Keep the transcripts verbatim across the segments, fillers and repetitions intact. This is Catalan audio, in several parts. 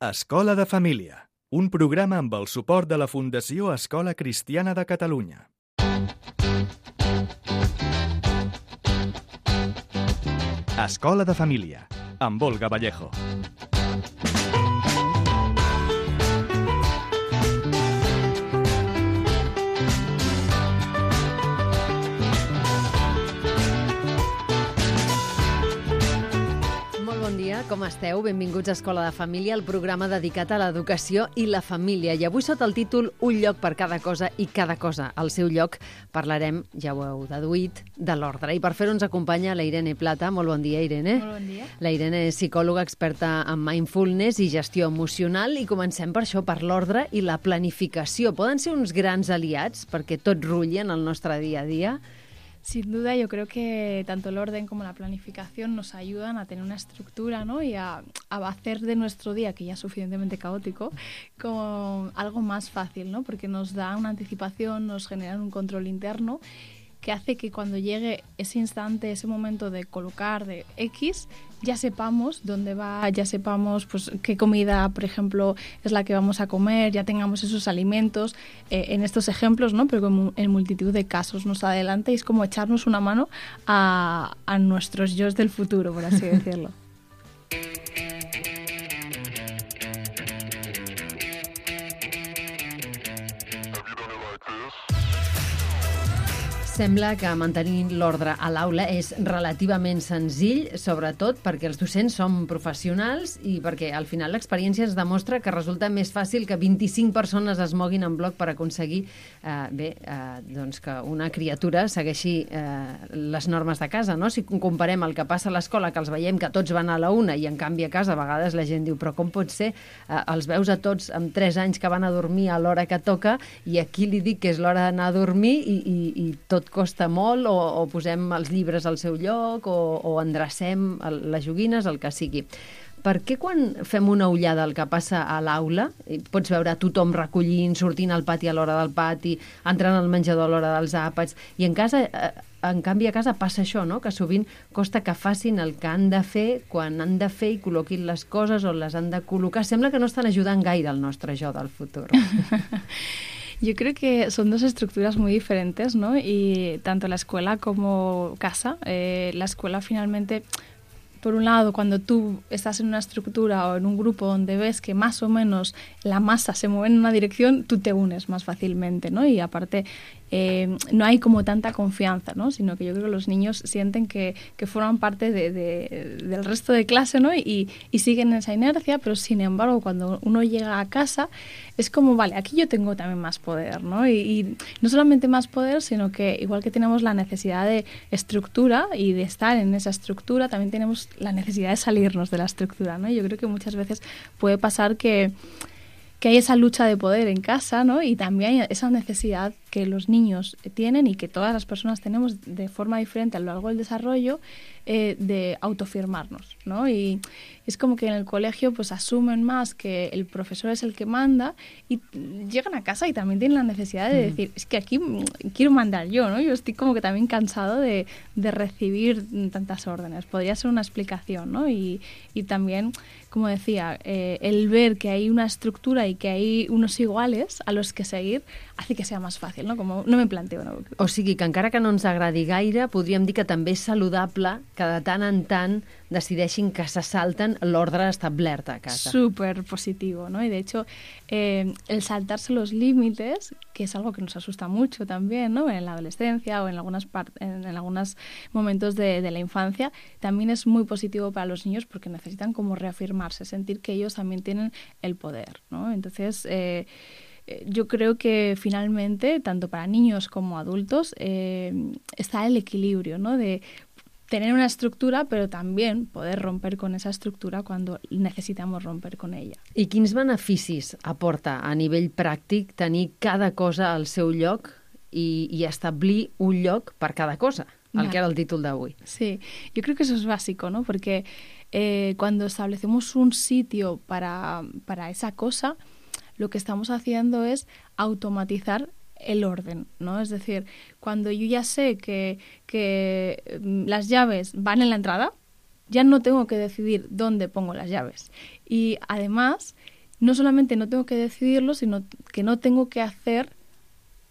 Escola de Família, un programa amb el suport de la Fundació Escola Cristiana de Catalunya. Escola de Família, amb Olga Vallejo. Com esteu? Benvinguts a Escola de Família, el programa dedicat a l'educació i la família. I avui sota el títol Un lloc per cada cosa i cada cosa al seu lloc parlarem, ja ho heu deduït, de l'ordre. I per fer-ho ens acompanya la Irene Plata. Molt bon dia, Irene. Molt bon dia. La Irene és psicòloga experta en mindfulness i gestió emocional i comencem per això, per l'ordre i la planificació. Poden ser uns grans aliats perquè tot rulli en el nostre dia a dia? Sin duda, yo creo que tanto el orden como la planificación nos ayudan a tener una estructura, ¿no? Y a, a hacer de nuestro día, que ya es suficientemente caótico, como algo más fácil, ¿no? Porque nos da una anticipación, nos genera un control interno que hace que cuando llegue ese instante, ese momento de colocar de X, ya sepamos dónde va, ya sepamos pues qué comida, por ejemplo, es la que vamos a comer, ya tengamos esos alimentos, eh, en estos ejemplos, ¿no? Pero como en multitud de casos nos adelanta y es como echarnos una mano a, a nuestros yos del futuro, por así decirlo. Sembla que mantenir l'ordre a l'aula és relativament senzill, sobretot perquè els docents són professionals i perquè al final l'experiència ens demostra que resulta més fàcil que vint-i-cinc persones es moguin en bloc per aconseguir eh, bé, eh, doncs que una criatura segueixi eh, les normes de casa, no? Si comparem el que passa a l'escola, que els veiem que tots van a la una i en canvi a casa a vegades la gent diu però com pot ser? Eh, els veus a tots amb tres anys que van a dormir a l'hora que toca i aquí li dic que és l'hora d'anar a dormir i, i, i tot costa molt, o, o posem els llibres al seu lloc, o, o endrecem el, les joguines, el que sigui. Per què quan fem una ullada al que passa a l'aula, pots veure tothom recollint, sortint al pati a l'hora del pati, entrant al menjador a l'hora dels àpats, i en casa, en canvi a casa passa això, no? Que sovint costa que facin el que han de fer quan han de fer i col·loquin les coses on les han de col·locar. Sembla que no estan ajudant gaire el nostre jo del futur. Yo creo que son dos estructuras muy diferentes, ¿no? Y tanto la escuela como casa. Eh, la escuela finalmente, por un lado, cuando tú estás en una estructura o en un grupo donde ves que más o menos la masa se mueve en una dirección, tú te unes más fácilmente, ¿no? Y aparte, eh, no hay como tanta confianza, ¿no? Sino que yo creo que los niños sienten que, que forman parte de, de, del resto de clase, ¿no? Y, y siguen esa inercia, pero sin embargo, cuando uno llega a casa, es como, vale, aquí yo tengo también más poder, ¿no? Y, y no solamente más poder, sino que igual que tenemos la necesidad de estructura y de estar en esa estructura, también tenemos la necesidad de salirnos de la estructura, ¿no? Yo creo que muchas veces puede pasar que que hay esa lucha de poder en casa, ¿no? Y también hay esa necesidad que los niños tienen y que todas las personas tenemos de forma diferente a lo largo del desarrollo, eh, de autoafirmarnos, ¿no? Y es como que en el colegio pues asumen más que el profesor es el que manda y llegan a casa y también tienen la necesidad de decir, es que aquí quiero mandar yo, ¿no? Yo estoy como que también cansado de, de recibir tantas órdenes. Podría ser una explicación, ¿no? Y, y también, como decía, eh, el ver que hay una estructura y que hay unos iguales a los que seguir hace que sea más fàcil, no? Com no me planteo. No? O sigui que encara que no ens agradi gaire, podríem dir que també és saludable que de tant en tant decideixin que se salten l'ordre establert a casa. Súper positivo, ¿no? Y de hecho, eh, el saltarse los límites, que es algo que nos asusta mucho también, ¿no? En la adolescencia o en algunas en, en algunos momentos de, de la infancia, también es muy positivo para los niños porque necesitan como reafirmarse, sentir que ellos también tienen el poder, ¿no? Entonces, eh, yo creo que finalmente, tanto para niños como adultos, eh, está el equilibrio, ¿no? De tener una estructura, pero también poder romper con esa estructura cuando necesitamos romper con ella. I quins beneficis aporta a nivell pràctic tenir cada cosa al seu lloc i, y establir un lloc per cada cosa, el vale. Que era el títol d'avui? Sí, yo creo que eso es básico, ¿no? Porque eh, cuando establecemos un sitio para, para esa cosa, lo que estamos haciendo es automatizar el orden, ¿no? Es decir, cuando yo ya sé que, que las llaves van en la entrada, ya no tengo que decidir dónde pongo las llaves. Y además, no solamente no tengo que decidirlo, sino que no tengo que hacer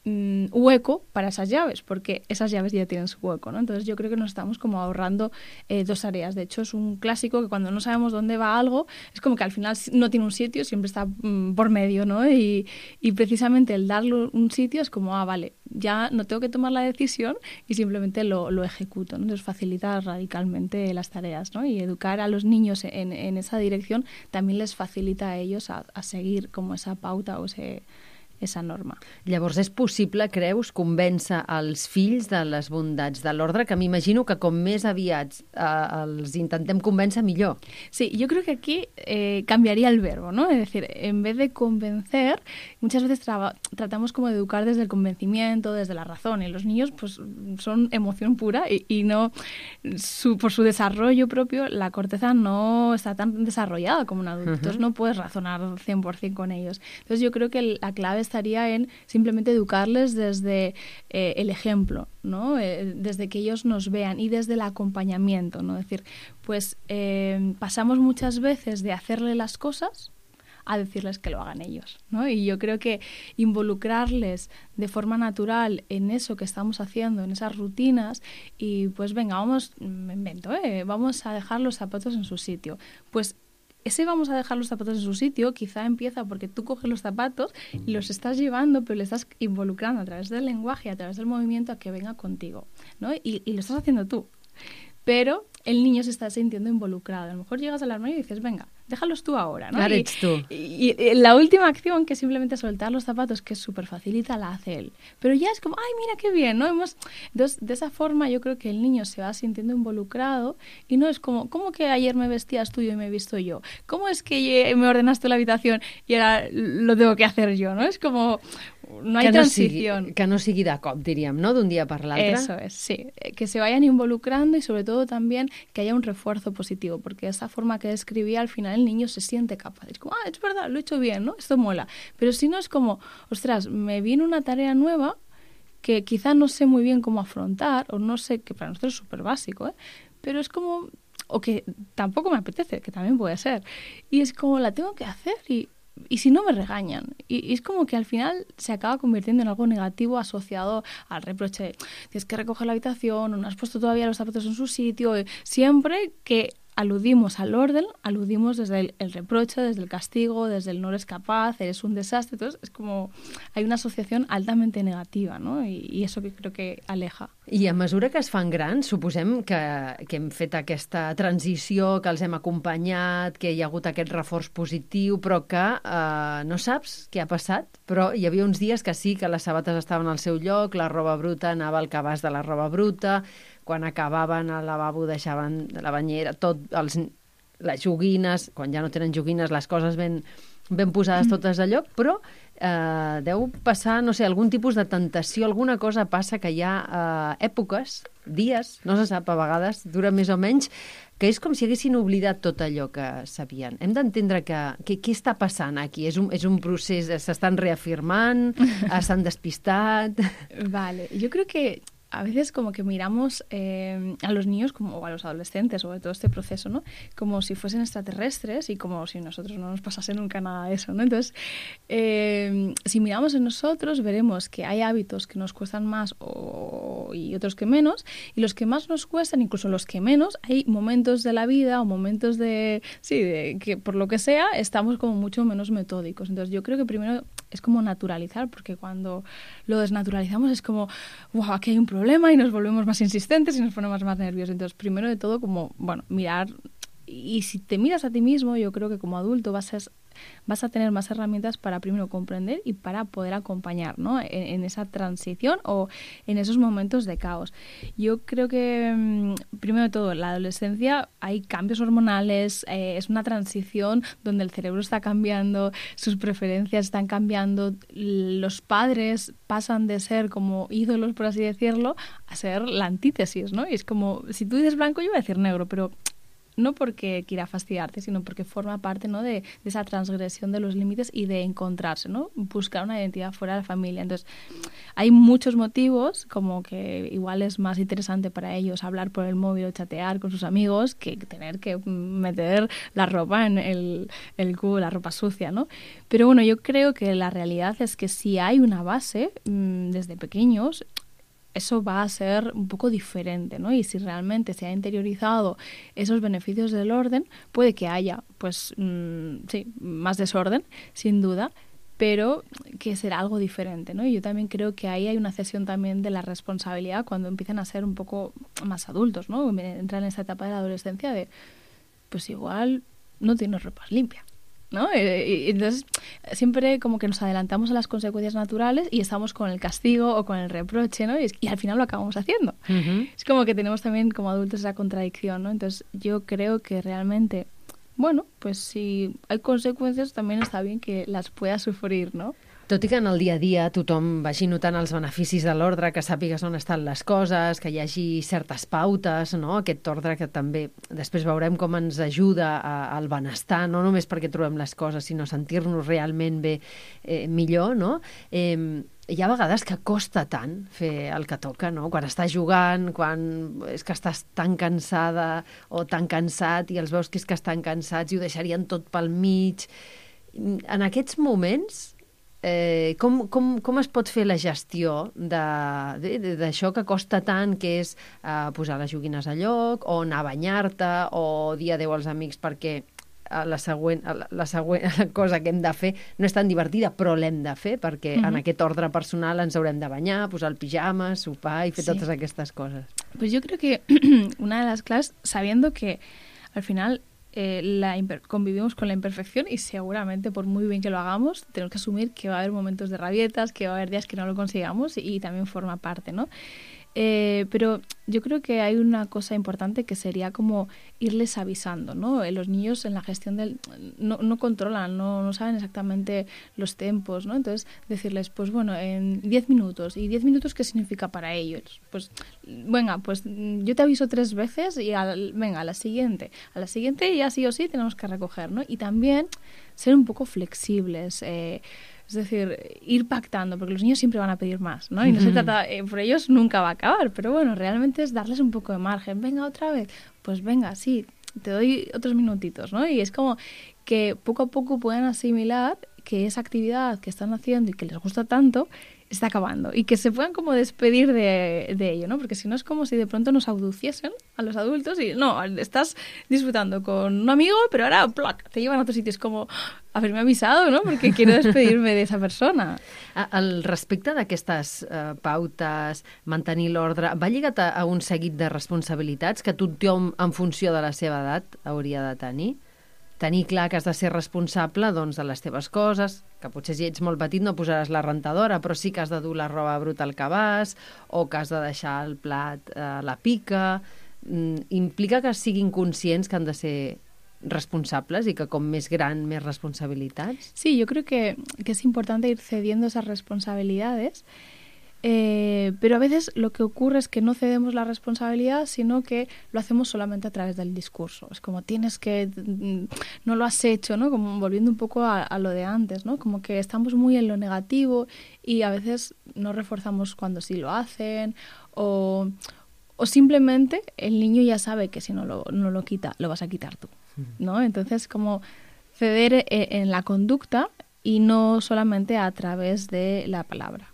mm, hueco para esas llaves, porque esas llaves ya tienen su hueco, ¿no? Entonces yo creo que nos estamos como ahorrando eh, dos áreas. De hecho, es un clásico que cuando no sabemos dónde va algo, es como que al final no tiene un sitio, siempre está mm, por medio, ¿no? Y, y precisamente el darle un sitio es como, ah, vale, ya no tengo que tomar la decisión y simplemente lo, lo ejecuto, ¿no? Entonces facilita radicalmente las tareas, ¿no? Y educar a los niños en, en esa dirección también les facilita a ellos a, a seguir como esa pauta o ese, esa norma. Llavors, és possible, creus, convèncer els fills de les bondats de l'ordre, que m'imagino que com més aviat eh, els intentem convèncer, millor. Sí, yo creo que aquí eh, cambiaría el verbo, ¿no? Es decir, en vez de convencer, muchas veces tra- tratamos como de educar desde el convencimiento, desde la razón, y los niños pues son emoción pura y, y no, su, por su desarrollo propio, la corteza no está tan desarrollada como un adulto, uh-huh. Entonces no puedes razonar cien por ciento con ellos. Entonces yo creo que la clave estaría en simplemente educarles desde eh, el ejemplo, ¿no? Eh, desde que ellos nos vean y desde el acompañamiento, ¿no? Es decir, pues eh, pasamos muchas veces de hacerle las cosas a decirles que lo hagan ellos, ¿no? Y yo creo que involucrarles de forma natural en eso que estamos haciendo, en esas rutinas, y pues venga, vamos, me invento, ¿eh? Vamos a dejar los zapatos en su sitio. Pues ese vamos a dejar los zapatos en su sitio quizá empieza porque tú coges los zapatos y los estás llevando, pero le estás involucrando a través del lenguaje, a través del movimiento a que venga contigo, ¿no? Y, y lo estás haciendo tú. Pero el niño se está sintiendo involucrado. A lo mejor llegas al armario y dices, venga, déjalos tú ahora, ¿no? Ahora ets tú. Y, y la última acción, que es simplemente soltar los zapatos, que es súper facilita, la hace él. Pero ya es como, ay, mira qué bien, ¿no? Hemos... Entonces, de esa forma yo creo que el niño se va sintiendo involucrado y no es como, ¿cómo que ayer me vestías tú y me he visto yo? ¿Cómo es que me ordenaste la habitación y ahora lo tengo que hacer yo, ¿no? Es como... No hay que no transición. Sigui, que no sigui de cop, diríem, ¿no? D'un dia per l'altre. Eso es, sí. Que se vayan involucrando y sobre todo también que haya un refuerzo positivo, porque esa forma que describía, al final el niño se siente capaz. Es como, ah, es verdad, lo he hecho bien, ¿no? Esto mola. Pero si no es como, ostras, me viene una tarea nueva que quizá no sé muy bien cómo afrontar, o no sé, que para nosotros es súper básico, ¿eh? Pero es como, o que tampoco me apetece, que también puede ser. Y es como, la tengo que hacer y... Y si no me regañan. Y, y es como que al final se acaba convirtiendo en algo negativo asociado al reproche de tienes que recoger la habitación, o no has puesto todavía los zapatos en su sitio. Siempre que aludimos al orden, aludimos desde el, el reproche, desde el castigo, desde el no eres capaz, eres un desastre. Entonces es como hay una asociación altamente negativa, ¿no? I, i això que crec que aleja. I a mesura que es fan grans, suposem que, que hem fet aquesta transició, que els hem acompanyat, que hi ha hagut aquest reforç positiu, però que eh, no saps què ha passat, però hi havia uns dies que sí, que les sabates estaven al seu lloc, la roba bruta anava al cabàs de la roba bruta, quan acabaven al lavabo deixaven la banyera, tot, els, les joguines, quan ja no tenen joguines, les coses ben, ben posades totes a lloc, però eh, deu passar, no sé, algun tipus de tentació, alguna cosa passa que hi ha eh, èpoques, dies, no se sap, a vegades dura més o menys, que és com si haguessin oblidat tot allò que sabien. Hem d'entendre que, que què està passant aquí? És un, és un procés, s'estan reafirmant, s'han despistat... Vale, yo creo que a veces como que miramos eh, a los niños como, o a los adolescentes sobre todo este proceso, ¿no? Como si fuesen extraterrestres y como si nosotros no nos pasase nunca nada de eso, ¿no? Entonces, eh, si miramos en nosotros veremos que hay hábitos que nos cuestan más o, y otros que menos, y los que más nos cuestan, incluso los que menos, hay momentos de la vida o momentos de, sí, de que por lo que sea estamos como mucho menos metódicos. Entonces yo creo que primero es como naturalizar, porque cuando lo desnaturalizamos es como, wow, aquí hay un problema y nos volvemos más insistentes y nos ponemos más nerviosos. Entonces, primero de todo, como, bueno, mirar, y si te miras a ti mismo, yo creo que como adulto vas a, vas a tener más herramientas para primero comprender y para poder acompañar, ¿no? en, en esa transición o en esos momentos de caos. Yo creo que, primero de todo, en la adolescencia hay cambios hormonales, eh, es una transición donde el cerebro está cambiando, sus preferencias están cambiando, los padres pasan de ser como ídolos, por así decirlo, a ser la antítesis, ¿no? Y es como, si tú dices blanco, yo voy a decir negro, pero no porque quiera fastidiarte, sino porque forma parte, ¿no?, de, de esa transgresión de los límites y de encontrarse, ¿no? Buscar una identidad fuera de la familia. Entonces, hay muchos motivos, como que igual es más interesante para ellos hablar por el móvil o chatear con sus amigos que tener que meter la ropa en el, el cubo, la ropa sucia, ¿no? Pero bueno, yo creo que la realidad es que si hay una base mmm, desde pequeños, eso va a ser un poco diferente, ¿no? Y si realmente se ha interiorizado esos beneficios del orden, puede que haya, pues, mmm, sí, más desorden, sin duda, pero que será algo diferente, ¿no? Y yo también creo que ahí hay una cesión también de la responsabilidad cuando empiezan a ser un poco más adultos, ¿no? Entran en esta etapa de la adolescencia de, pues igual no tienes ropa limpia, ¿no? Y entonces siempre como que nos adelantamos a las consecuencias naturales y estamos con el castigo o con el reproche, ¿no? Y, es, y al final lo acabamos haciendo. Uh-huh. Es como que tenemos también como adultos esa contradicción, ¿no? Entonces yo creo que realmente, bueno, pues si hay conseqüències també està bé que les puedas sofrir, no? Tot i que en el dia a dia tothom vagi notant els beneficis de l'ordre, que sàpigues on estan les coses, que hi hagi certes pautes, no? Aquest ordre que també després veurem com ens ajuda a, al benestar, no només perquè trobem les coses, sinó sentir-nos realment bé, eh, millor, no? Eh, hi ha vegades que costa tant fer el que toca, no? Quan estàs jugant, quan és que estàs tan cansada o tan cansat i els veus que és que estan cansats i ho deixarien tot pel mig. En aquests moments, Eh, com, com, com es pot fer la gestió d'això que costa tant, que és eh, posar les joguines a lloc, o anar a banyar-te, o dir adéu als amics perquè la següent, la següent cosa que hem de fer no és tan divertida, però l'hem de fer perquè mm-hmm. en aquest ordre personal ens haurem de banyar, posar el pijama, sopar i fer sí. totes aquestes coses. Pues yo creo que una de las claves, sabiendo que al final Eh, la convivimos con la imperfección y seguramente por muy bien que lo hagamos tenemos que asumir que va a haber momentos de rabietas, que va a haber días que no lo consigamos y, y también forma parte, ¿no? Eh, pero yo creo que hay una cosa importante que sería como irles avisando, ¿no? Los niños en la gestión del... no, no controlan, no, no saben exactamente los tempos, ¿no? Entonces decirles, pues bueno, en diez minutos. ¿Y diez minutos qué significa para ellos? Pues venga, pues yo te aviso tres veces y al, venga, a la siguiente. A la siguiente ya sí o sí tenemos que recoger, ¿no? Y también ser un poco flexibles, eh, es decir, ir pactando, porque los niños siempre van a pedir más, ¿no? Y no se trata, eh, por ellos nunca va a acabar, pero bueno, realmente es darles un poco de margen. Venga, otra vez, pues venga, sí, te doy otros minutitos, ¿no? Y es como que poco a poco puedan asimilar que esa actividad que están haciendo y que les gusta tanto está acabando y que se puedan como despedir de, de ello, ¿no? Porque si no es como si de pronto nos abduciesen a los adultos y no, estás disfrutando con un amigo, pero ahora ¡plac!, te llevan a otro sitio. Es como haberme avisado, ¿no? Porque quiero despedirme de esa persona. Al respecte d'aquestes uh, pautes, mantenir l'ordre, va lligat a, a un seguit de responsabilitats que tothom, en funció de la seva edat, hauria de tenir? Tenir clar que has de ser responsable, doncs, de les teves coses, que potser si ets molt petit no posaràs la rentadora, però sí que has de dur la roba bruta al cabàs, o que has de deixar el plat a la pica. Mm, implica que siguin conscients que han de ser responsables y que con més gran, més responsabilitats? Sí, yo creo que, que es importante ir cediendo esas responsabilidades. Eh, pero a veces lo que ocurre es que no cedemos la responsabilidad, sino que lo hacemos solamente a través del discurso. Es como tienes que, no lo has hecho, ¿no? Como volviendo un poco a, a lo de antes, ¿no? Como que estamos muy en lo negativo y a veces no reforzamos cuando sí lo hacen o, o simplemente el niño ya sabe que si no lo, no lo quita, lo vas a quitar tú, ¿no? Entonces, como ceder en la conducta y no solamente a través de la palabra.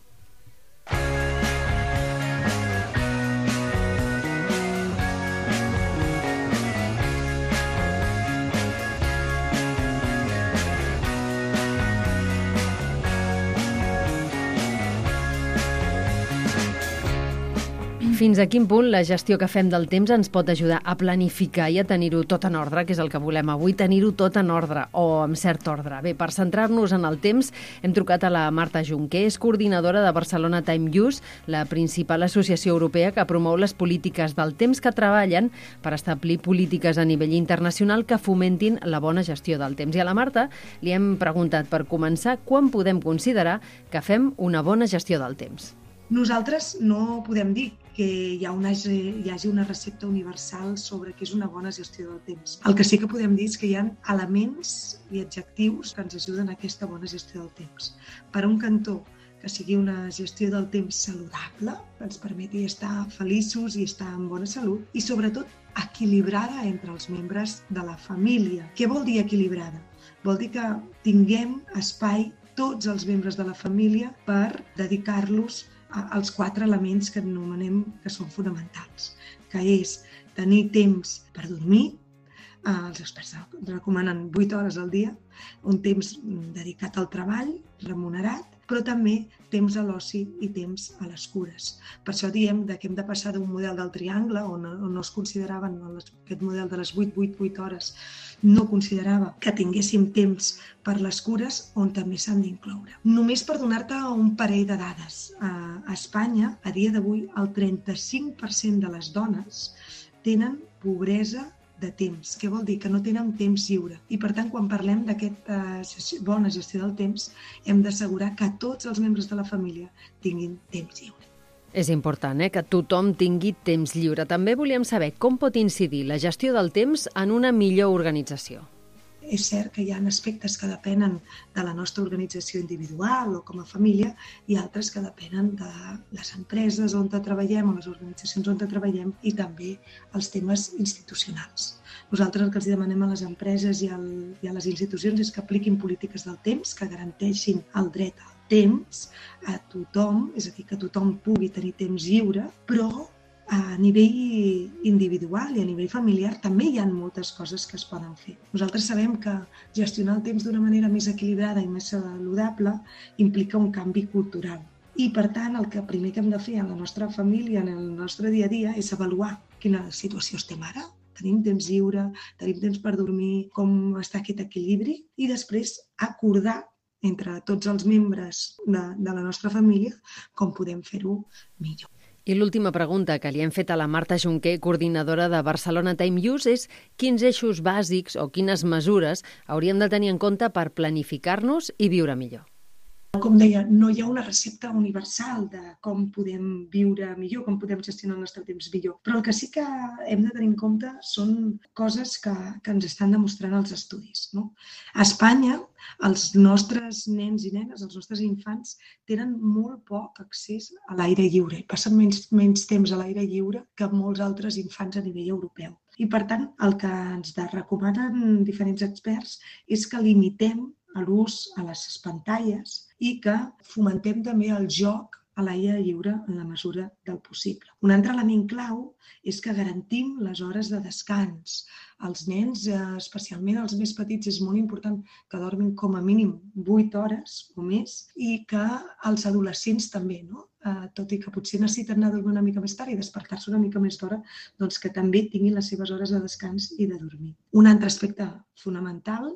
Fins a quin punt la gestió que fem del temps ens pot ajudar a planificar i a tenir-ho tot en ordre, que és el que volem avui, tenir-ho tot en ordre o amb cert ordre. Bé, per centrar-nos en el temps, hem trucat a la Marta Junqué, és coordinadora de Barcelona Time Use, la principal associació europea que promou les polítiques del temps, que treballen per establir polítiques a nivell internacional que fomentin la bona gestió del temps. I a la Marta li hem preguntat, per començar, quan podem considerar que fem una bona gestió del temps? Nosaltres no podem dir que hi, ha una, hi hagi una recepta universal sobre què és una bona gestió del temps. El que sí que podem dir és que hi ha elements i adjectius que ens ajuden a aquesta bona gestió del temps. Per un cantó, que sigui una gestió del temps saludable, que ens permeti estar feliços i estar en bona salut, i sobretot equilibrada entre els membres de la família. Què vol dir equilibrada? Vol dir que tinguem espai tots els membres de la família per dedicar-los als quatre elements que anomenem que són fonamentals, que és tenir temps per dormir, els experts recomanen vuit hores al dia, un temps dedicat al treball, remunerat, però també temps a l'oci i temps a les cures. Per això diem que hem de passar d'un model del triangle, on no es consideraven aquest model de les vuit vuit vuit hores, no considerava que tinguéssim temps per les cures, on també s'han d'incloure. Només per donar-te un parell de dades, a Espanya, a dia d'avui, el trenta-cinc per cent de les dones tenen pobresa de temps. Què vol dir? Que no tenen temps lliure. I per tant, quan parlem d'aquesta bona gestió del temps, hem d'assegurar que tots els membres de la família tinguin temps lliure. És important, eh, que tothom tingui temps lliure. També volíem saber com pot incidir la gestió del temps en una millor organització. És cert que hi ha aspectes que depenen de la nostra organització individual o com a família i altres que depenen de les empreses on treballem o les organitzacions on treballem i també els temes institucionals. Nosaltres el que els demanem a les empreses i, al, i a les institucions és que apliquin polítiques del temps que garanteixin el dret al temps a tothom, és a dir, que tothom pugui tenir temps lliure, però a nivell individual i a nivell familiar també hi ha moltes coses que es poden fer. Nosaltres sabem que gestionar el temps d'una manera més equilibrada i més saludable implica un canvi cultural. I, per tant, el que primer que hem de fer en la nostra família, en el nostre dia a dia, és avaluar quina situació estem ara. Tenim temps lliure, tenim temps per dormir, com està aquest equilibri, i després acordar entre tots els membres de, de la nostra família com podem fer-ho millor. I l'última pregunta que li hem fet a la Marta Junquer, coordinadora de Barcelona Time Use, és quins eixos bàsics o quines mesures hauríem de tenir en compte per planificar-nos i viure millor. Com deia, no hi ha una recepta universal de com podem viure millor, com podem gestionar el nostre temps millor. Però el que sí que hem de tenir en compte són coses que, que ens estan demostrant els estudis, no? A Espanya, els nostres nens i nenes, els nostres infants, tenen molt poc accés a l'aire lliure. Passen menys, menys temps a l'aire lliure que molts altres infants a nivell europeu. I, per tant, el que ens recomanen diferents experts és que limitem l'ús a les pantalles i que fomentem també el joc a l'aire lliure en la mesura del possible. Un altre element clau és que garantim les hores de descans. Els nens, especialment els més petits, és molt important que dormin com a mínim vuit hores o més i que els adolescents també, no? Uh, tot i que potser necessiten anar a dormir una mica més tard i despertar-se una mica més d'hora, doncs que també tinguin les seves hores de descans i de dormir. Un altre aspecte fonamental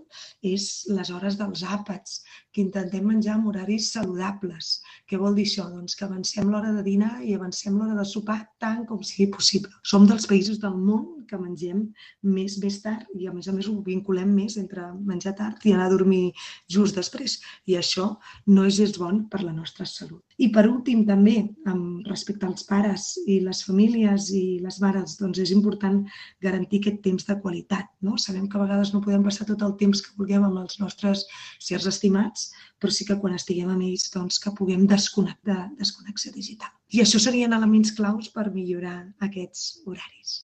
és les hores dels àpats, que intentem menjar amb horaris saludables. Què vol dir això? Doncs que avancem l'hora de dinar i avancem l'hora de sopar tant com sigui possible. Som dels països del món que mengem més més tard i a més a més ho vinculem més entre menjar tard i anar a dormir just després. I això no és gens bon per la nostra salut. I per últim, també, respecte als pares i les famílies i les mares, doncs és important garantir aquest temps de qualitat, no? Sabem que a vegades no podem passar tot el temps que vulguem amb els nostres sers estimats, però sí que quan estiguem amb ells doncs, que puguem desconnectar, desconnexió digital. I això serien elements claus per millorar aquests horaris.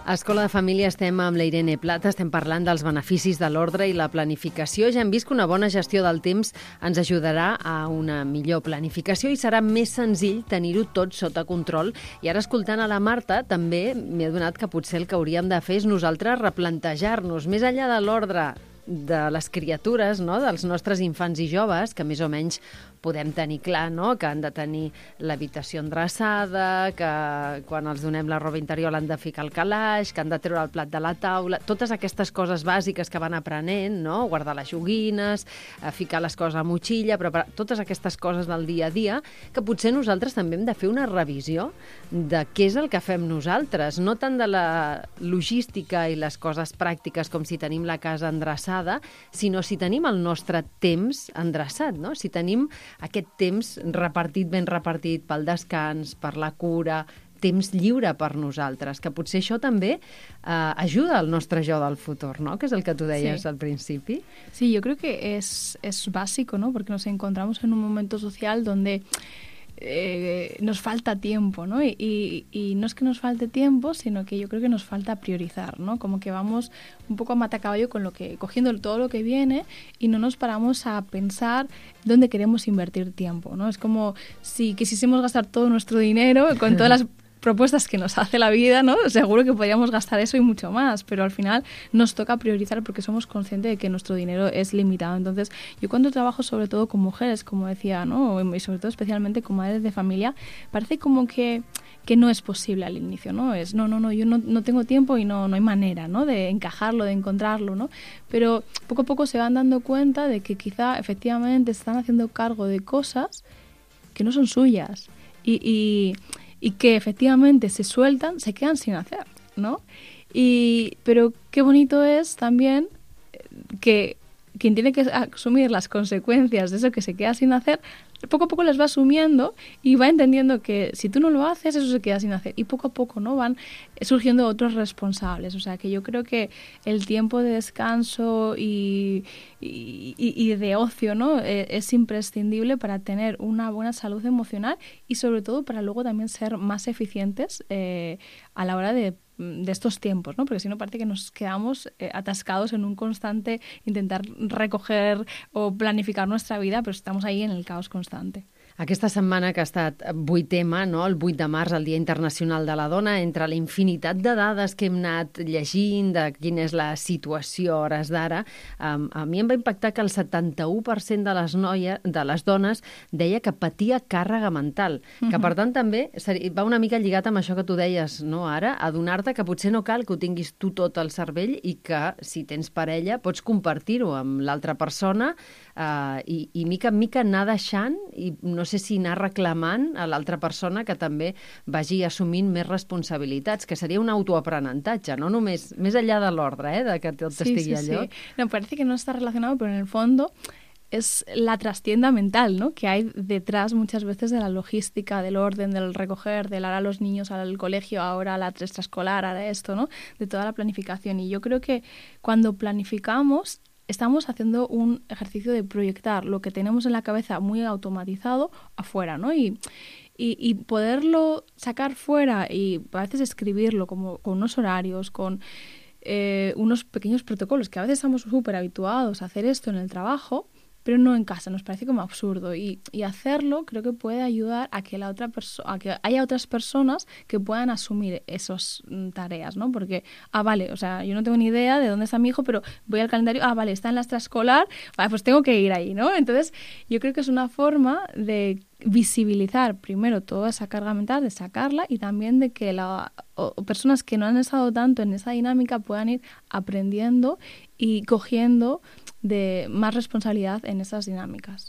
A Escola de Família estem amb la Irene Plata, estem parlant dels beneficis de l'ordre i la planificació. Ja hem vist que una bona gestió del temps ens ajudarà a una millor planificació i serà més senzill tenir-ho tot sota control. I ara, escoltant a la Marta, també m'he adonat que potser el que hauríem de fer és nosaltres replantejar-nos, més enllà de l'ordre de les criatures, no? Dels nostres infants i joves, que més o menys podem tenir clar, no?, que han de tenir l'habitació endreçada, que quan els donem la roba interior l'han de ficar al calaix, que han de treure el plat de la taula, totes aquestes coses bàsiques que van aprenent, no?, guardar les joguines, ficar les coses a motxilla, preparar totes aquestes coses del dia a dia, que potser nosaltres també hem de fer una revisió de què és el que fem nosaltres, no tant de la logística i les coses pràctiques com si tenim la casa endreçada, sinó si tenim el nostre temps endreçat, no? Si tenim aquest temps repartit, ben repartit pel descans, per la cura, temps lliure per nosaltres, que potser això també eh, ajuda al nostre jo del futur, ¿no?, que es el que tú decías sí. al principio. Sí, yo creo que es, es básico, ¿no?, porque nos encontramos en un momento social donde Eh, nos falta tiempo, ¿no? Y, y, y no es que nos falte tiempo, sino que yo creo que nos falta priorizar, ¿no? Como que vamos un poco a matacaballo con lo que, cogiendo todo lo que viene y no nos paramos a pensar dónde queremos invertir tiempo, ¿no? Es como si quisiésemos gastar todo nuestro dinero con todas las propuestas que nos hace la vida, ¿no? Seguro que podríamos gastar eso y mucho más, pero al final nos toca priorizar porque somos conscientes de que nuestro dinero es limitado. Entonces, yo cuando trabajo sobre todo con mujeres, como decía, ¿no?, y sobre todo especialmente con madres de familia, parece como que que no es posible al inicio, ¿no? Es, no, no, no, yo no, no tengo tiempo y no, no hay manera, ¿no?, de encajarlo, de encontrarlo, ¿no? Pero poco a poco se van dando cuenta de que quizá efectivamente se están haciendo cargo de cosas que no son suyas y... y y que efectivamente se sueltan, se quedan sin hacer, ¿no? Y, pero qué bonito es también que quien tiene que asumir las consecuencias de eso que se queda sin hacer, poco a poco las va asumiendo y va entendiendo que si tú no lo haces, eso se queda sin hacer. Y poco a poco, ¿no?, van surgiendo otros responsables. O sea, que yo creo que el tiempo de descanso y, y, y de ocio, ¿no?, es imprescindible para tener una buena salud emocional y sobre todo para luego también ser más eficientes eh, a la hora de de estos tiempos, ¿no? Porque si no parece que nos quedamos eh, atascados en un constante intentar recoger o planificar nuestra vida, pero estamos ahí en el caos constante. Aquesta setmana que ha estat vuit ema, no? El vuit de març, el Dia Internacional de la Dona, entre la infinitat de dades que hem anat llegint, de quina és la situació a hores d'ara, um, a mi em va impactar que el setanta-u per cent de les, noies, de les dones deia que patia càrrega mental, que uh-huh. per tant també va una mica lligat amb això que tu deies, no, ara, adonar-te que potser no cal que ho tinguis tu tot al cervell i que si tens parella pots compartir-ho amb l'altra persona uh, i, i mica en mica anar deixant i no sé si anar reclamant a l'altra persona que també vagi assumint més responsabilitats, que seria un autoaprenentatge, no només, més allà de l'ordre, eh, de que tot sí, estigui sí, a lloc. Sí. No, parece que no está relacionado, pero en el fondo es la trastienda mental, ¿no?, que hay detrás muchas veces de la logística, del orden, del recoger, del ahora los niños al colegio, ahora la extraescolar, ahora esto, ¿no?, de toda la planificación. Y yo creo que cuando planificamos estamos haciendo un ejercicio de proyectar lo que tenemos en la cabeza muy automatizado afuera, ¿no? Y, y, y poderlo sacar fuera y a veces escribirlo como con unos horarios, con eh, unos pequeños protocolos, que a veces estamos súper habituados a hacer esto en el trabajo, pero no en casa, nos parece como absurdo. Y, y hacerlo creo que puede ayudar a que la otra perso- a que haya otras personas que puedan asumir esas mm, tareas, ¿no? Porque, ah, vale, o sea, yo no tengo ni idea de dónde está mi hijo, pero voy al calendario, ah, vale, está en la extraescolar, vale, pues tengo que ir ahí, ¿no? Entonces, yo creo que es una forma de visibilizar primero toda esa carga mental, de sacarla y también de que la, o, o personas que no han estado tanto en esa dinámica puedan ir aprendiendo y cogiendo de más responsabilitat en aquestes dinàmiques.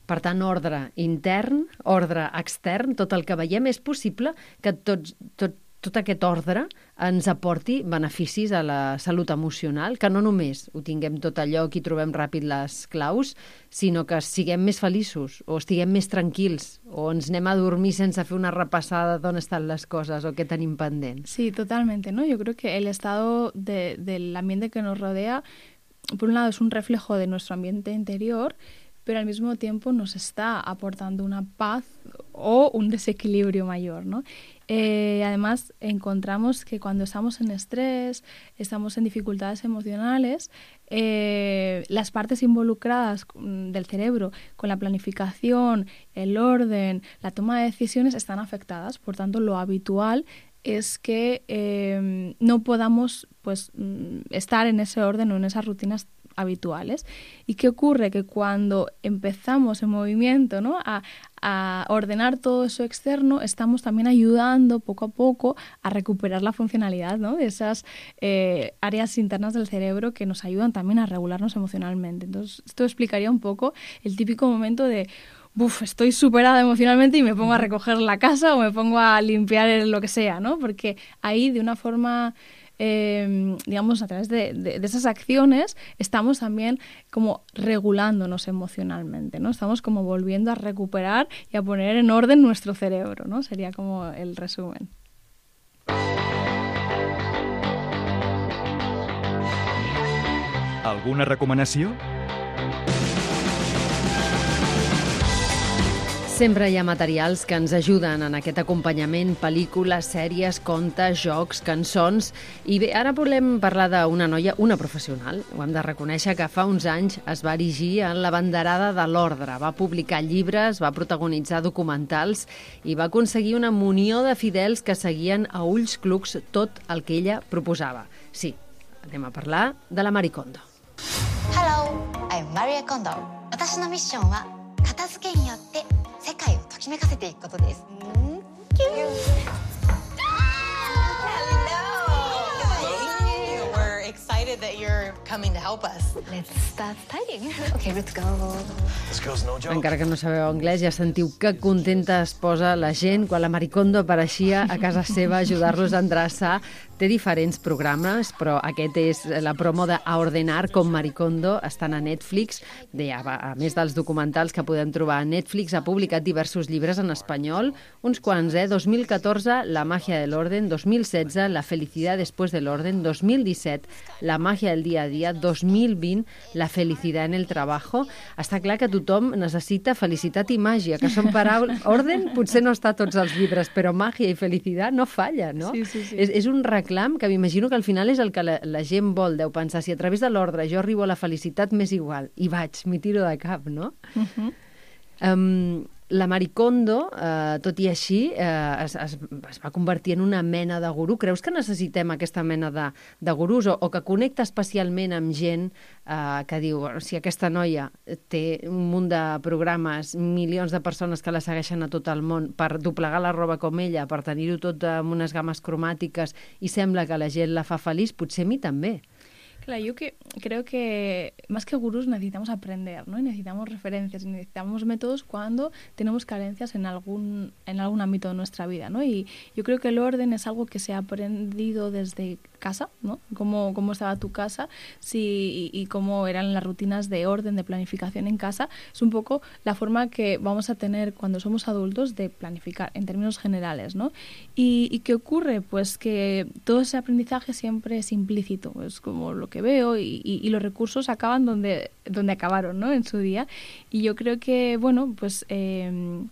Per tant, ordre intern, ordre extern, tot el que veiem, és possible que tots, tot, tot aquest ordre ens aporti beneficis a la salut emocional, que no només ho tinguem tot allò i trobem ràpid les claus, sinó que siguem més feliços, o estiguem més tranquils, o ens anem a dormir sense fer una repassada d'on estan les coses o què tenim pendent. Sí, totalmente, ¿no? Yo creo que el estado de, del ambiente que nos rodea, por un lado es un reflejo de nuestro ambiente interior, pero al mismo tiempo nos está aportando una paz o un desequilibrio mayor, ¿no? Eh, además, encontramos que cuando estamos en estrés, estamos en dificultades emocionales, eh, las partes involucradas del cerebro con la planificación, el orden, la toma de decisiones están afectadas. Por tanto, lo habitual es que eh, no podamos pues estar en ese orden o en esas rutinas habituales. ¿Y qué ocurre? Que cuando empezamos en movimiento, ¿no?, a, a ordenar todo eso externo, estamos también ayudando poco a poco a recuperar la funcionalidad, ¿no?, de esas eh, áreas internas del cerebro que nos ayudan también a regularnos emocionalmente. Entonces, esto explicaría un poco el típico momento de Uf, estoy superada emocionalmente y me pongo a recoger la casa o me pongo a limpiar lo que sea, ¿no? Porque ahí, de una forma, eh, digamos, a través de, de, de esas acciones, estamos también como regulándonos emocionalmente, ¿no? Estamos como volviendo a recuperar y a poner en orden nuestro cerebro, ¿no? Sería como el resumen. Alguna recomanació? Sempre hi ha materials que ens ajuden en aquest acompanyament, pel·lícules, sèries, contes, jocs, cançons. I bé, ara volem parlar d'una noia, una professional. Ho hem de reconèixer, que fa uns anys es va erigir en la banderada de l'ordre. Va publicar llibres, va protagonitzar documentals i va aconseguir una munió de fidels que seguien a ulls clucs tot el que ella proposava. Sí, anem a parlar de la Marie Kondo. Hello, I'm Marie Kondo. 私のミッションは片付けによって世界をときめかせていくことです。キュー。Hello. We're excited that you're coming to help us. Let's start studying. Okay, let's go. This girl's no joke. Encara que no sabeu anglès, ja sentiu que contenta es posa la gent quan la Marie Kondo apareixia a casa seva a ajudar-los a endreçar. Té diferents programes, però aquest és la promo de A Ordenar com Marie Kondo. Estan a Netflix. Bé, a més dels documentals que podem trobar a Netflix, ha publicat diversos llibres en espanyol, uns quants, eh? dos mil catorze, La magia del orden, dos mil setze, La felicidad después del orden, dos mil disset, La magia del día a día, dos mil vint, La felicidad en el trabajo. Està clar que tothom necessita felicitat i màgia, que són paraules... Orden potser no està a tots els llibres, però màgia i felicitat no falla, no? Sí, sí, sí. És, és un reclam que m'imagino que al final és el que la, la gent vol. Deu pensar, si a través de l'ordre jo arribo a la felicitat, m'és igual. I vaig, m'hi tiro de cap, no? Uh-huh. um, la Marie Kondo, eh, tot i així, eh, es, es, es va convertir en una mena de gurú. Creus que necessitem aquesta mena de, de gurús o, o que connecta especialment amb gent eh, que diu, si aquesta noia té un munt de programes, milions de persones que la segueixen a tot el món per doblegar la roba com ella, per tenir-ho tot amb unes games cromàtiques i sembla que la gent la fa feliç, potser a mi també. Claro, yo que, creo que más que gurús necesitamos aprender, ¿no? Y necesitamos referencias, y necesitamos métodos cuando tenemos carencias en algún, en algún ámbito de nuestra vida, ¿no? Y yo creo que el orden es algo que se ha aprendido desde casa, ¿no? Cómo, cómo estaba tu casa si, y, y cómo eran las rutinas de orden, de planificación en casa. Es un poco la forma que vamos a tener cuando somos adultos de planificar en términos generales, ¿no? ¿Y, y qué ocurre? Pues que todo ese aprendizaje siempre es implícito, es como lo que veo y, y, y los recursos acaban donde, donde acabaron, ¿no? En su día. Y yo creo que, bueno, pues eh,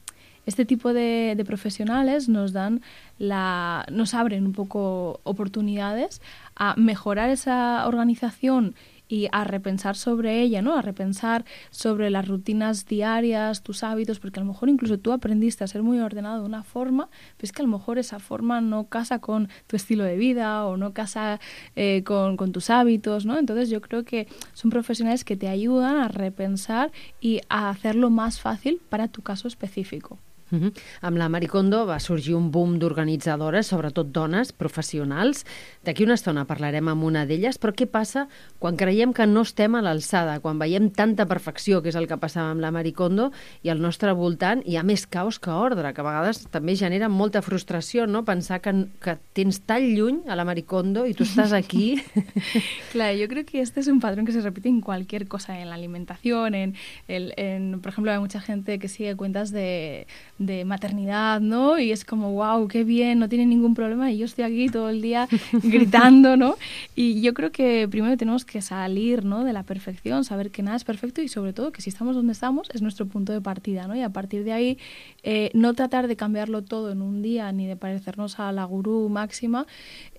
este tipo de, de profesionales nos dan la, nos abren un poco oportunidades a mejorar esa organización y a repensar sobre ella, ¿no? A repensar sobre las rutinas diarias, tus hábitos, porque a lo mejor incluso tú aprendiste a ser muy ordenado de una forma, pero es que a lo mejor esa forma no casa con tu estilo de vida o no casa eh, con, con tus hábitos, ¿no? Entonces yo creo que son profesionales que te ayudan a repensar y a hacerlo más fácil para tu caso específico. Uh-huh. Amb la Marie Kondo va sorgir un boom d'organitzadores, sobretot dones, professionals. D'aquí una estona parlarem amb una d'elles, però què passa quan creiem que no estem a l'alçada, quan veiem tanta perfecció, que és el que passava amb la Marie Kondo, i al nostre voltant hi ha més caos que ordre, que a vegades també genera molta frustració, no? Pensar que, que tens tan lluny a la Marie Kondo i tu estàs aquí. Claro, yo creo que este es un patrón que se repite en cualquier cosa, en la alimentación, en, el, en por ejemplo, hay mucha gente que sigue cuentas de de maternidad, ¿no? Y es como, wow, qué bien, no tiene ningún problema y yo estoy aquí todo el día gritando, ¿no? Y yo creo que primero tenemos que salir, ¿no?, de la perfección, saber que nada es perfecto y sobre todo que si estamos donde estamos es nuestro punto de partida, ¿no? Y a partir de ahí eh, no tratar de cambiarlo todo en un día ni de parecernos a la gurú máxima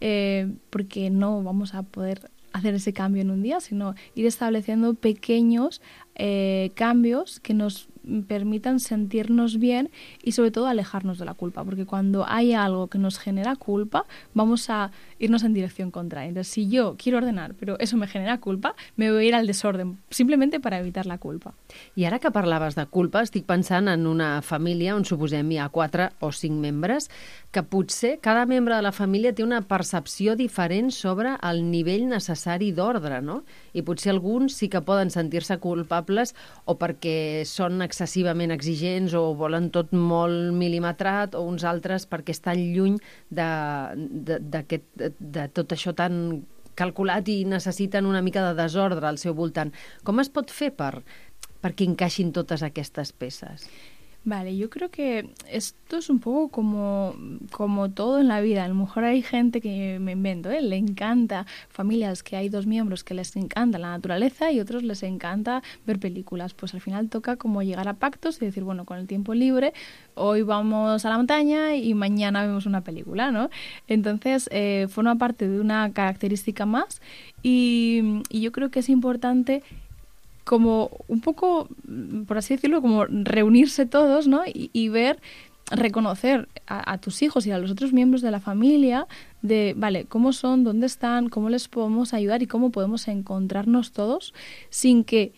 eh, porque no vamos a poder hacer ese cambio en un día, sino ir estableciendo pequeños eh, cambios que nos permitan sentirnos bien y sobre todo alejarnos de la culpa, porque cuando hay algo que nos genera culpa vamos a irnos en dirección contraria. Entonces, si yo quiero ordenar però eso me genera culpa, me voy a ir al desorden simplemente para evitar la culpa. I ara que parlaves de culpa, estic pensant en una família on suposem hi ha quatre o cinc membres, que potser cada membre de la família té una percepció diferent sobre el nivell necessari d'ordre, no? I potser alguns sí que poden sentir-se culpables o perquè són excessivament exigents o volen tot molt mil·limetrat, o uns altres perquè estan lluny de, de, de, de tot això tan calculat i necessiten una mica de desordre al seu voltant. Com es pot fer per, perquè encaixin totes aquestes peces? Vale, yo creo que esto es un poco como, como todo en la vida. A lo mejor hay gente que me invento, ¿eh? Le encanta, familias que hay dos miembros que les encanta la naturaleza y otros les encanta ver películas. Pues al final toca como llegar a pactos y decir, bueno, con el tiempo libre, hoy vamos a la montaña y mañana vemos una película, ¿no? Entonces, eh, forma parte de una característica más y, y yo creo que es importante como un poco, por así decirlo, como reunirse todos, ¿no? Y, y ver, reconocer a, a tus hijos y a los otros miembros de la familia de, vale, cómo son, dónde están, cómo les podemos ayudar y cómo podemos encontrarnos todos sin que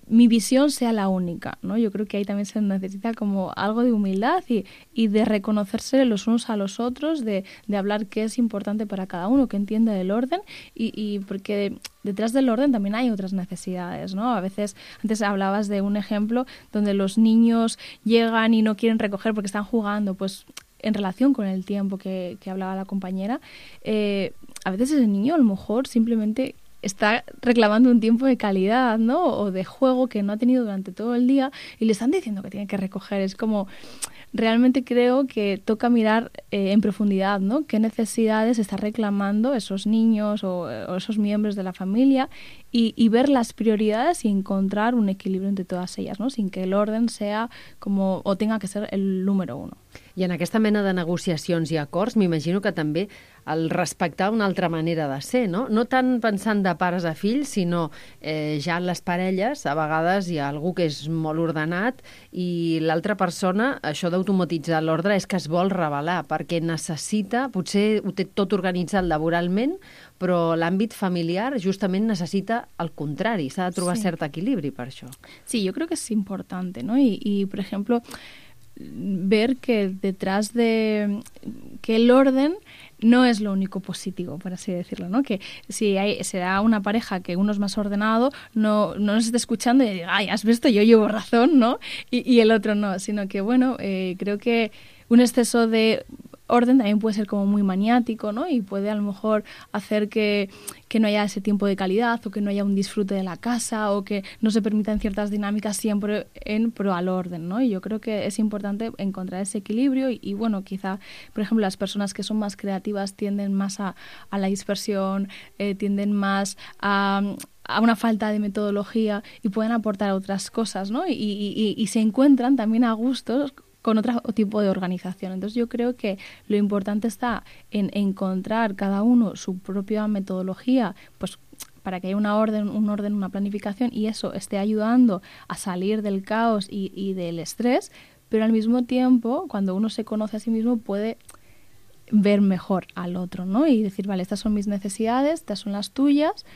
mi visión sea la única, ¿no? Yo creo que ahí también se necesita como algo de humildad y, y de reconocerse los unos a los otros, de, de hablar qué es importante para cada uno, que entienda el orden y, y porque detrás del orden también hay otras necesidades, ¿no? A veces, antes hablabas de un ejemplo donde los niños llegan y no quieren recoger porque están jugando, pues en relación con el tiempo que, que hablaba la compañera, eh, a veces ese niño a lo mejor simplemente está reclamando un tiempo de calidad, ¿no? O de juego que no ha tenido durante todo el día y le están diciendo que tiene que recoger. Es como, realmente creo que toca mirar eh, en profundidad, ¿no? ¿Qué necesidades están reclamando esos niños o, o esos miembros de la familia? Y, y ver las prioridades y encontrar un equilibrio entre todas ellas, ¿no? Sin que el orden sea como, o tenga que ser el número uno. I en aquesta mena de negociacions i acords m'imagino que també el respectar una altra manera de ser, no? No tant pensant de pares a fills, sinó eh, ja en les parelles, a vegades hi ha algú que és molt ordenat i l'altra persona, això d'automatitzar l'ordre és que es vol revelar, perquè necessita, potser ho té tot organitzat laboralment, però l'àmbit familiar justament necessita el contrari, s'ha de trobar sí. cert equilibri per això. Sí, yo creo que es importante, ¿no? Y, y por ejemplo, ver que detrás de que el orden no es lo único positivo, por así decirlo, ¿no? Que si hay, será una pareja que uno es más ordenado, no, no nos esté escuchando y diga, ay, has visto, yo llevo razón, ¿no? Y, y el otro no, sino que, bueno, eh, creo que un exceso de orden también puede ser como muy maniático, ¿no? Y puede a lo mejor hacer que, que no haya ese tiempo de calidad o que no haya un disfrute de la casa o que no se permitan ciertas dinámicas siempre en pro al orden, ¿no? Y yo creo que es importante encontrar ese equilibrio y, y bueno, quizá, por ejemplo, las personas que son más creativas tienden más a, a la dispersión, eh, tienden más a... a una falta de metodología y pueden aportar otras cosas, ¿no? Y, y, y se encuentran también a gustos con otro tipo de organización. Entonces yo creo que lo importante está en encontrar cada uno su propia metodología, pues para que haya una orden, un orden, una planificación y eso esté ayudando a salir del caos y, y del estrés, pero al mismo tiempo, cuando uno se conoce a sí mismo, puede ver mejor al otro, ¿no? Y decir, vale, estas son mis necesidades, estas son las tuyas,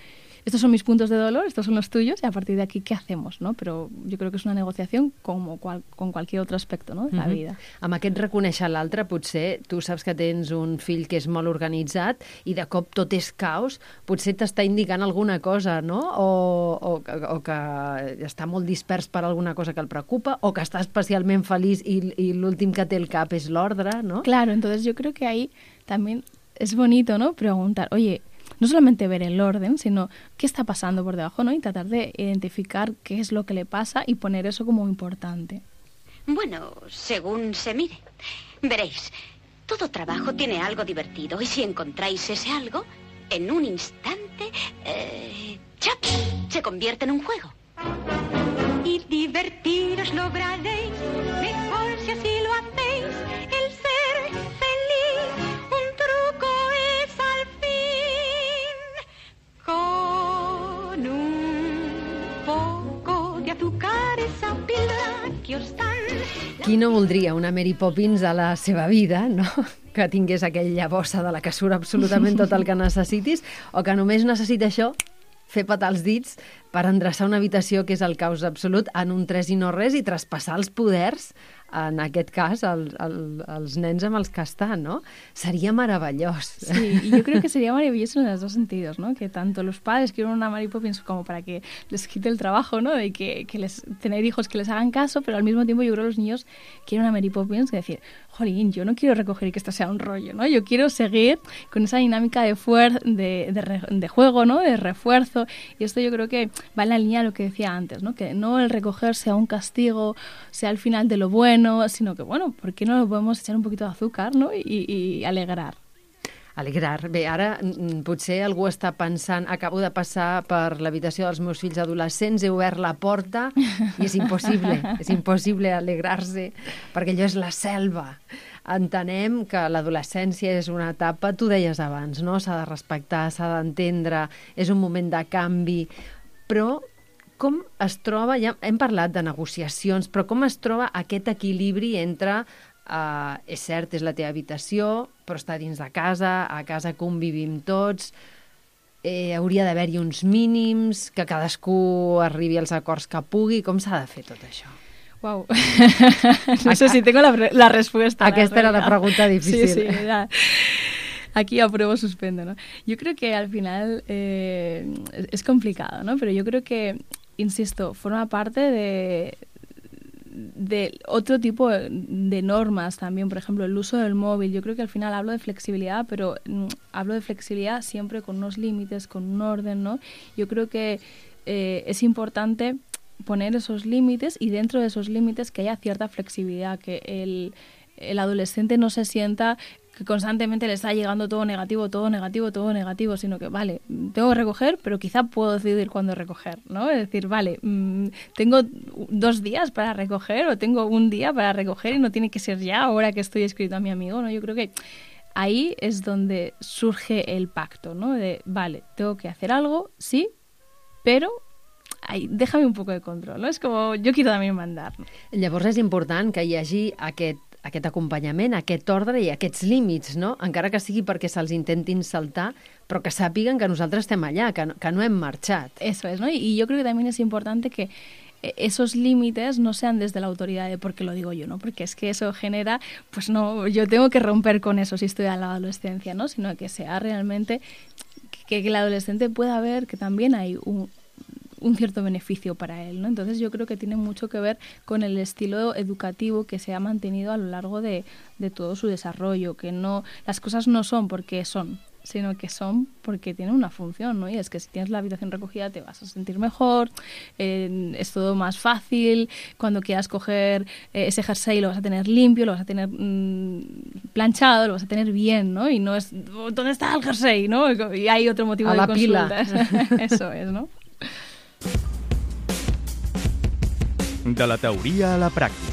estos son mis puntos de dolor, estos son los tuyos, y a partir de aquí, ¿qué hacemos? ¿No? Pero yo creo que es una negociación como qual, con cualquier otro aspecto, ¿no? de la vida. Mm-hmm. Amb aquest reconèixer l'altre, potser tu saps que tens un fill que és molt organitzat i de cop tot és caos, potser t'està indicant alguna cosa, no? O, o, o que està molt dispers per alguna cosa que el preocupa, o que està especialment feliç i, i l'últim que té el cap és l'ordre, ¿no? Claro, entonces yo creo que ahí también es bonito, ¿no? Preguntar, oye, no solamente ver el orden, sino qué está pasando por debajo, ¿no? Y tratar de identificar qué es lo que le pasa y poner eso como importante. Bueno, según se mire. Veréis, todo trabajo tiene algo divertido y si encontráis ese algo, en un instante, eh, ¡chap!, se convierte en un juego. Y divertiros lograréis, mejor si así lo hacéis, el ser feliz, un truco es al fin. Con un poco de azúcar Qui no voldria una Mary Poppins a la seva vida, no? Que tingués aquella bossa de la que surt absolutament tot el que necessitis, o que només necessita això, fer petar els dits per endreçar una habitació que és el caos absolut en un tres i no res i traspassar els poders, en aquest cas, el, el, els nens amb els que estan, ¿no? Sería maravilloso. Sí, y yo creo que sería maravilloso en los dos sentidos, ¿no? Que tanto los padres quieren una Mary Poppins como para que les quite el trabajo, ¿no? De que, que les, tener hijos que les hagan caso, pero al mismo tiempo yo creo que los niños quieren una Mary Poppins que decir, jolín, yo no quiero recoger y que esto sea un rollo, ¿no? Yo quiero seguir con esa dinámica de, fuer de, de, re de juego, ¿no? De refuerzo. Y esto yo creo que va en la línea de lo que decía antes, ¿no? Que no el recoger sea un castigo, sea el final de lo bueno, sino que, bueno, ¿por qué no lo podemos echar un poquito de azúcar, no? I, i alegrar. Alegrar. Bé, ara potser algú està pensant, acabo de passar per l'habitació dels meus fills adolescents, he obert la porta i és impossible, és impossible alegrar-se, perquè allò és la selva. Entenem que l'adolescència és una etapa, tu deies abans, no? S'ha de respectar, s'ha d'entendre, és un moment de canvi, però com es troba, ja hem parlat de negociacions, però com es troba aquest equilibri entre, eh, és cert, és la teva habitació, però està dins de casa, a casa convivim tots, eh, hauria d'haver-hi uns mínims, que cadascú arribi als acords que pugui, com s'ha de fer tot això? Wow. No sé si tengo la, la respuesta. Aquesta era la pregunta difícil. Sí, sí, ya. Aquí apruebo, suspendo, ¿no? Yo creo que al final eh, es complicado, ¿no? Pero yo creo que, insisto, forma parte de, de otro tipo de normas también. Por ejemplo, el uso del móvil. Yo creo que al final hablo de flexibilidad, pero mm, hablo de flexibilidad siempre con unos límites, con un orden, ¿no? Yo creo que eh, es importante poner esos límites y dentro de esos límites que haya cierta flexibilidad, que el, el adolescente no se sienta que constantemente le está llegando todo negativo, todo negativo, todo negativo, sino que, vale, tengo que recoger, pero quizá puedo decidir cuándo recoger, ¿no? Es decir, vale, mmm, tengo dos días para recoger o tengo un día para recoger y no tiene que ser ya ahora que estoy escrito a mi amigo, ¿no? Yo creo que ahí es donde surge el pacto, ¿no? De, vale, tengo que hacer algo, sí, pero ai, déjame un poco de control, no? És com, jo quiero també mandar. Llavors és important que hi hagi aquest, aquest acompanyament, aquest ordre i aquests límits, no? Encara que sigui perquè se'ls intentin saltar, però que sàpiguen que nosaltres estem allà, que no, que no hem marxat. Eso es, ¿no? Y yo creo que también es importante que esos límites no sean desde la autoridad de porque lo digo yo, ¿no? Porque es que eso genera, pues no, yo tengo que romper con eso si estoy en la adolescencia, ¿no? Sino que sea realmente que, que el adolescente pueda ver que también hay un un cierto beneficio para él, ¿no? Entonces yo creo que tiene mucho que ver con el estilo educativo que se ha mantenido a lo largo de, de todo su desarrollo, que no, las cosas no son porque son, sino que son porque tienen una función, ¿no? Y es que si tienes la habitación recogida te vas a sentir mejor, eh, es todo más fácil, cuando quieras coger eh, ese jersey lo vas a tener limpio, lo vas a tener mmm, planchado, lo vas a tener bien, ¿no? Y no es, ¿dónde está el jersey? ¿No? Y hay otro motivo a de la consultas. Pila. Eso es, ¿no? De la teoria a la pràctica.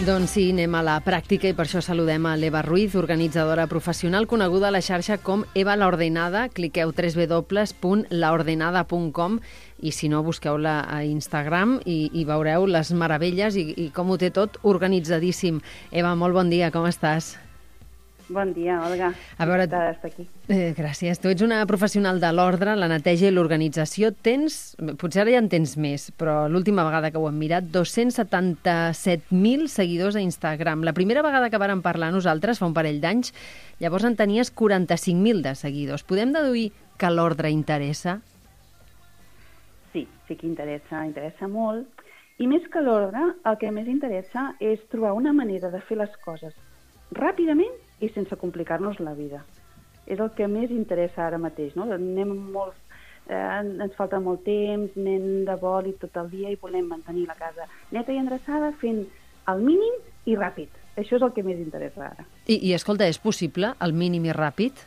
Doncs sí, anem a la pràctica i per això saludem a l'Eva Ruiz, organitzadora professional coneguda a la xarxa com Eva La Ordenada. Cliqueu w w w punt la ordenada punt com i si no, busqueu-la a Instagram i, i veureu les meravelles i, i com ho té tot organitzadíssim. Eva, molt bon dia, com estàs? Bon dia, Olga. A veure, d'estar aquí. Eh, gràcies. Tu ets una professional de l'ordre, la neteja i l'organització. Tens, potser ara ja en tens més, però l'última vegada que ho hem mirat, dos-cents setanta-set mil seguidors a Instagram. La primera vegada que vàrem parlar nosaltres, fa un parell d'anys, llavors en tenies quaranta-cinc mil de seguidors. Podem deduir que l'ordre interessa? Sí, sí que interessa, interessa molt. I més que l'ordre, el que més interessa és trobar una manera de fer les coses ràpidament i sense complicar-nos la vida. És el que més interessa ara mateix, no? Anem molt, eh, ens falta molt temps, anem de vol i tot el dia i volem mantenir la casa neta i endreçada fent el mínim i ràpid. Això és el que més interessa ara. I, i escolta, és possible el mínim i ràpid?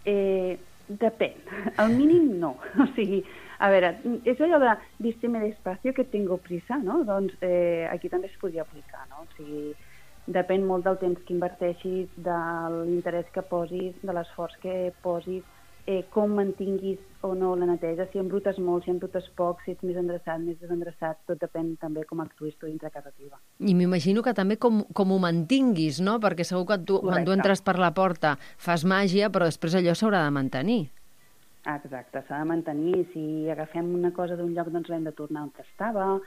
Eh, depèn. El mínim no. O sigui, a veure, és allò de vísteme despacio que tengo prisa, no? Doncs eh, aquí també es podria aplicar, no? O sigui, depèn molt del temps que inverteixis, de l'interès que posis, de l'esforç que posis, eh, com mantinguis o no la neteja, si embrutes molt, si embrutes poc, si ets més endreçat, més desendreçat, tot depèn també com actuïs tu dintre casa teva. I m'imagino que també com, com ho mantinguis, no? Perquè segur que tu, quan tu entres per la porta fas màgia, però després allò s'haurà de mantenir. Exacte, s'ha de mantenir. Si agafem una cosa d'un lloc, doncs l'hem de tornar on estava.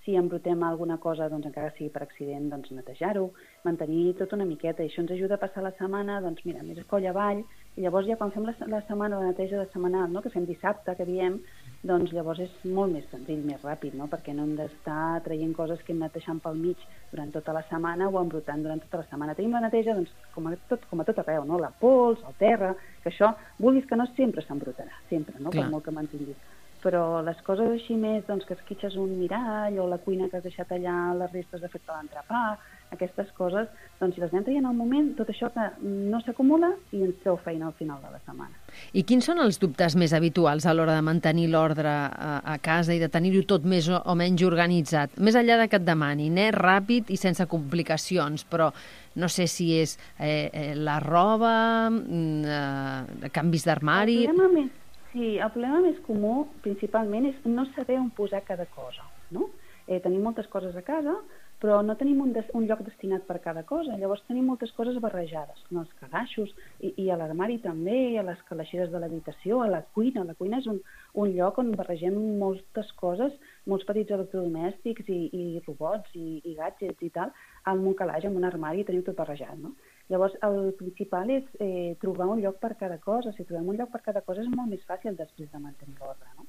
Si embrutem alguna cosa, doncs encara sigui per accident, doncs netejar-ho, mantenir tot una miqueta. I això ens ajuda a passar la setmana, doncs mira, més coll avall, i llavors ja quan fem la, la setmana, la neteja de setmanal, no?, que fem dissabte, que diem, doncs llavors és molt més senzill, més ràpid, no?, perquè no hem d'estar traient coses que hem anat deixant pel mig durant tota la setmana o embrutant durant tota la setmana. Tenim la neteja, doncs, com a tot, com a tot arreu, no?, la pols, el terra, que això, vulguis que no, sempre s'embrutarà, sempre, no?, per molt que mantinguis. Però les coses així més, doncs, que esquitxes un mirall o la cuina que has deixat allà, les restes de fet l'entrepà, aquestes coses, doncs si les anem traient al moment, tot això que no s'acumula i ens treu feina al final de la setmana. I quins són els dubtes més habituals a l'hora de mantenir l'ordre a, a casa i de tenir-ho tot més o, o menys organitzat? Més enllà de que et demani, net, ràpid i sense complicacions, però no sé si és eh, eh, la roba, eh, canvis d'armari... El problema més Sí, el problema més comú, principalment, és no saber on posar cada cosa, no? Eh, tenim moltes coses a casa, però no tenim un, des, un lloc destinat per cada cosa. Llavors tenim moltes coses barrejades, en els calaixos, i, i a l'armari també, i a les calaixeres de l'habitació, a la cuina. La cuina és un, un lloc on barregem moltes coses, molts petits electrodomèstics i, i robots i, i gadgets i tal, en un calaix, en un armari, i tenim tot barrejat, no? Llavors, el principal és eh, trobar un lloc per cada cosa. Si trobem un lloc per cada cosa és molt més fàcil després de mantenir l'ordre, no?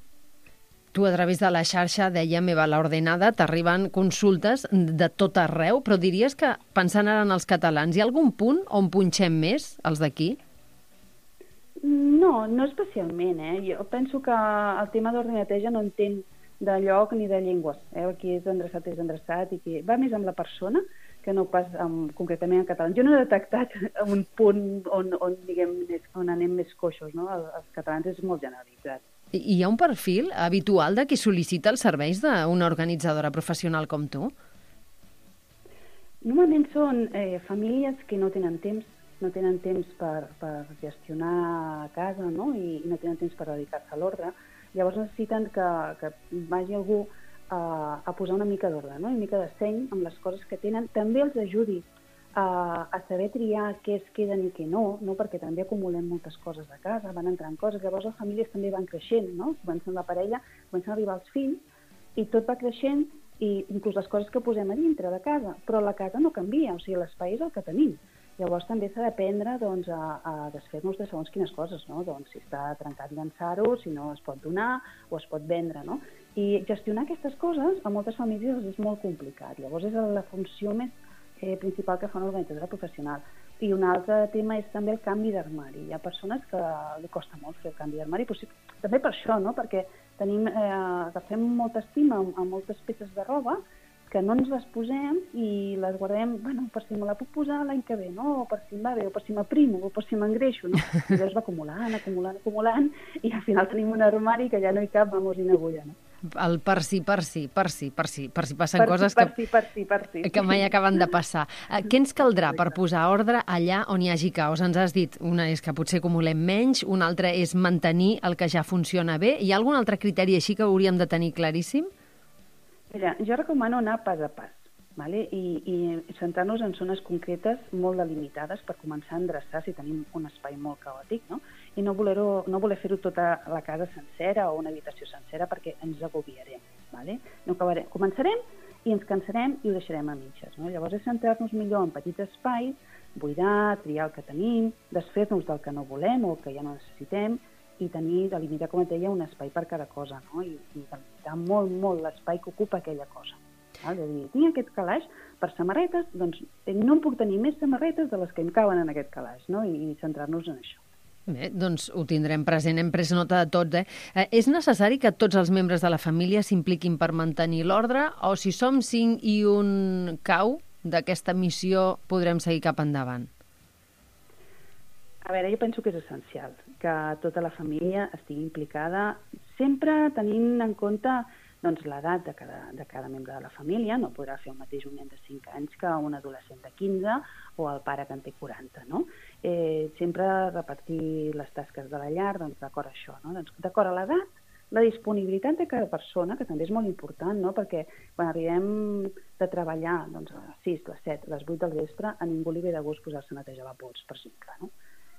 Tu, a través de la xarxa, deia Meva la Ordenada, t'arriben consultes de tot arreu, però diries que, pensant ara en els catalans, hi ha algun punt on punxem més, els d'aquí? No, no especialment, eh? Jo penso que el tema d'ordre i neteja no entén de lloc ni de llengües. Eh? Qui és endreçat és endreçat i qui va més amb la persona que no pas um, concretament en català. Jo no he detectat un punt on, on, diguem, on anem més coixos, no? El, els catalans és molt generalitzat. I hi ha un perfil habitual de qui sol·licita els serveis d'una organitzadora professional com tu? Normalment són eh, famílies que no tenen temps, no tenen temps per, per gestionar a casa, no? I, i no tenen temps per dedicar-se a l'ordre. Llavors necessiten que, que vagi algú A, a posar una mica d'ordre, no? Una mica de seny amb les coses que tenen. També els ajudi a, a saber triar què es queden i què no, no? Perquè també acumulem moltes coses a casa, van entrant coses, llavors les famílies també van creixent, no? Comencen la parella, comencen a arribar els fills i tot va creixent, i inclús les coses que posem a dintre de casa, però la casa no canvia, o sigui, l'espai és el que tenim. Llavors també s'ha d'aprendre, doncs, a, a desfer-nos de segons quines coses, no? Doncs si està trencat, llançar-ho, si no es pot donar o es pot vendre, no? I gestionar aquestes coses a moltes famílies és molt complicat. Llavors és la funció més eh, principal que fa una organitzadora professional. I un altre tema és també el canvi d'armari. Hi ha persones que li costa molt fer el canvi d'armari, però sí, també per això, no? Perquè tenim, eh, agafem molta estima a, a moltes peces de roba que no ens les posem i les guardem, bueno, per si me la puc posar l'any que ve, no? O per si em va bé, o per si m'aprimo, o per si m'engreixo, no? I llavors va acumulant, acumulant, acumulant, i al final tenim un armari que ja no hi cap, vamos, i una agulla, no? El per si, per si, per si, per si, per si passen per coses si, per que, si, per si, per si. que mai acaben de passar. Què ens caldrà per posar ordre allà on hi hagi caos? Ens has dit, una és que potser acumulem menys, una altra és mantenir el que ja funciona bé. Hi ha algun altre criteri així que hauríem de tenir claríssim? Mira, jo recomano anar pas a pas, vale? I, i centrar-nos en zones concretes molt delimitades per començar a endreçar si tenim un espai molt caòtic, no? I no voler, no voler fer-ho tota la casa sencera o una habitació sencera perquè ens agobiarem. Vale? No acabarem. Començarem i ens cansarem i ho deixarem a mitges. No? Llavors és centrar-nos millor en petits espais, buidar, triar el que tenim, desfer-nos del que no volem o que ja no necessitem i tenir, delimitar, com et deia, un espai per cada cosa, no? I, i delimitar molt, molt l'espai que ocupa aquella cosa. Val? És a dir, tinc aquest calaix per samarretes, doncs no em puc tenir més samarretes de les que em caben en aquest calaix, no? I, i centrar-nos en això. Bé, doncs ho tindrem present, hem pres nota de tots. Eh? Eh, és necessari que tots els membres de la família s'impliquin per mantenir l'ordre o si som cinc i un cau d'aquesta missió podrem seguir cap endavant? A veure, jo penso que és essencial que tota la família estigui implicada, sempre tenint en compte doncs l'edat de cada, de cada membre de la família, no podrà fer el mateix un nen de cinc anys que un adolescent de quinze o el pare que en té quaranta, no? Eh, sempre repartir les tasques de la llar, doncs d'acord a això, no? Doncs d'acord a l'edat, la disponibilitat de cada persona, que també és molt important, no? Perquè quan arribem de treballar doncs, a les sis, les set, les vuit del vespre, a ningú li ve de gust posar-se a netejar la pols, per exemple, no?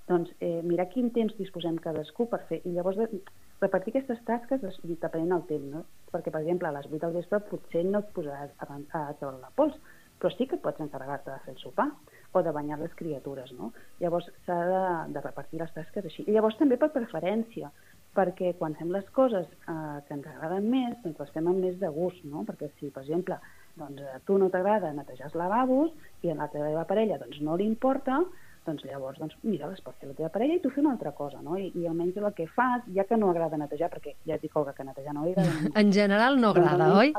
Doncs eh, mirar quin temps disposem cadascú per fer, i llavors de, repartir aquestes tasques depenent del temps, no? Perquè, per exemple, a les vuit del vespre potser no et posaràs a, a treure la pols, però sí que pots encarregar-te de fer el sopar o de banyar les criatures, no? Llavors s'ha de, de repartir les tasques així. I llavors també per preferència, perquè quan fem les coses eh, que ens agraden més, doncs les fem amb més de gust, no? Perquè si, per exemple, doncs, a tu no t'agrada netejar els lavabos i a la teva parella doncs, no li importa, doncs llavors, doncs, mira, les pots fer la teva parella i tu fer una altra cosa, no? I, i almenys el que fas, ja que no agrada netejar, perquè ja et dic, Olga, que netejar no agrada. En general no agrada, oi?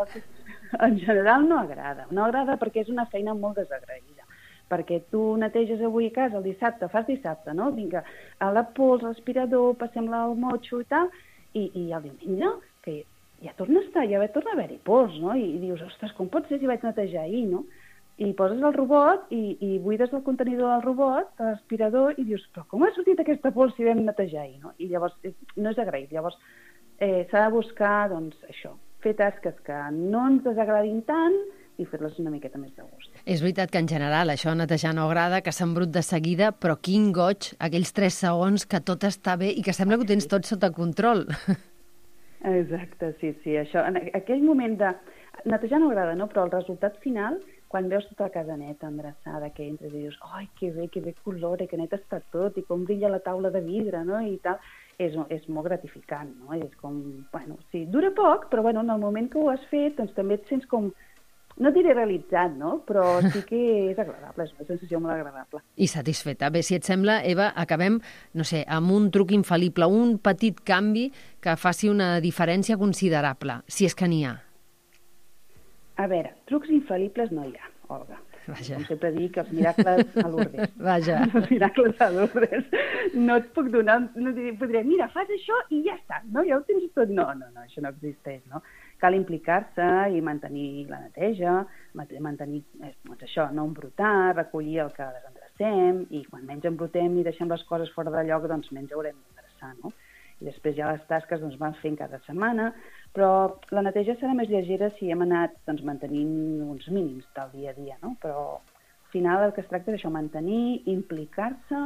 En general no agrada. No agrada perquè és una feina molt desagraïda. Perquè tu neteges avui a casa el dissabte, fas dissabte, no? Vinga, a la pols, l'aspirador, passem-la al motxo i tal, i, i el diumenge, que ja torna a estar, ja torna a haver-hi pols, no? I, i dius, ostres, com pot ser si vaig netejar ahir, no? I poses el robot i, i buides el contenidor del robot, de l'aspirador, i dius, però com ha sortit aquesta pols si vam netejar ahir, no? I llavors no és agraït. Llavors eh, s'ha de buscar, doncs, això, fer tasques que no ens desagradin tant i fer-les una miqueta més de gust. És veritat que en general això netejar no agrada, que s'embrut de seguida, però quin goig, aquells tres segons que tot està bé i que sembla que ho tens tot sota control. Exacte, sí, sí. Això, en aquell moment de... Netejar no agrada, no? Però el resultat final, quan veus tota la casa neta, endreçada, que entres i dius, ai, que bé, que bé color, que net està tot, i com brilla la taula de vidre, no?, i tal, és, és molt gratificant, no? És com, bueno, sí, dura poc, però bueno, en el moment que ho has fet, doncs també et sents com, no diré realitzat, no?, però sí que és agradable, és una sensació molt agradable. I satisfeta. Bé, si et sembla, Eva, acabem, no sé, amb un truc infal·lible, un petit canvi que faci una diferència considerable, si és que n'hi ha. A veure, trucs infal·libles no hi ha, Olga. Vaja. Com sempre dic, els miracles a Lourdes. Vaja. Els miracles a Lourdes. No et puc donar, no diré, podré, mira, fas això i ja està, no? Ja ho tens tot. No, no, no, això no existeix, no? Cal implicar-se i mantenir la neteja, mantenir, doncs això, no embrutar, recollir el que desendrecem, i quan menys embrutem i deixem les coses fora de lloc, doncs menys haurem d'endreçar, no? I després ja les tasques doncs, van fent cada setmana, però la neteja serà més llegera si hem anat doncs, mantenint uns mínims del dia a dia, no? Però al final el que es tracta és això, mantenir, implicar-se,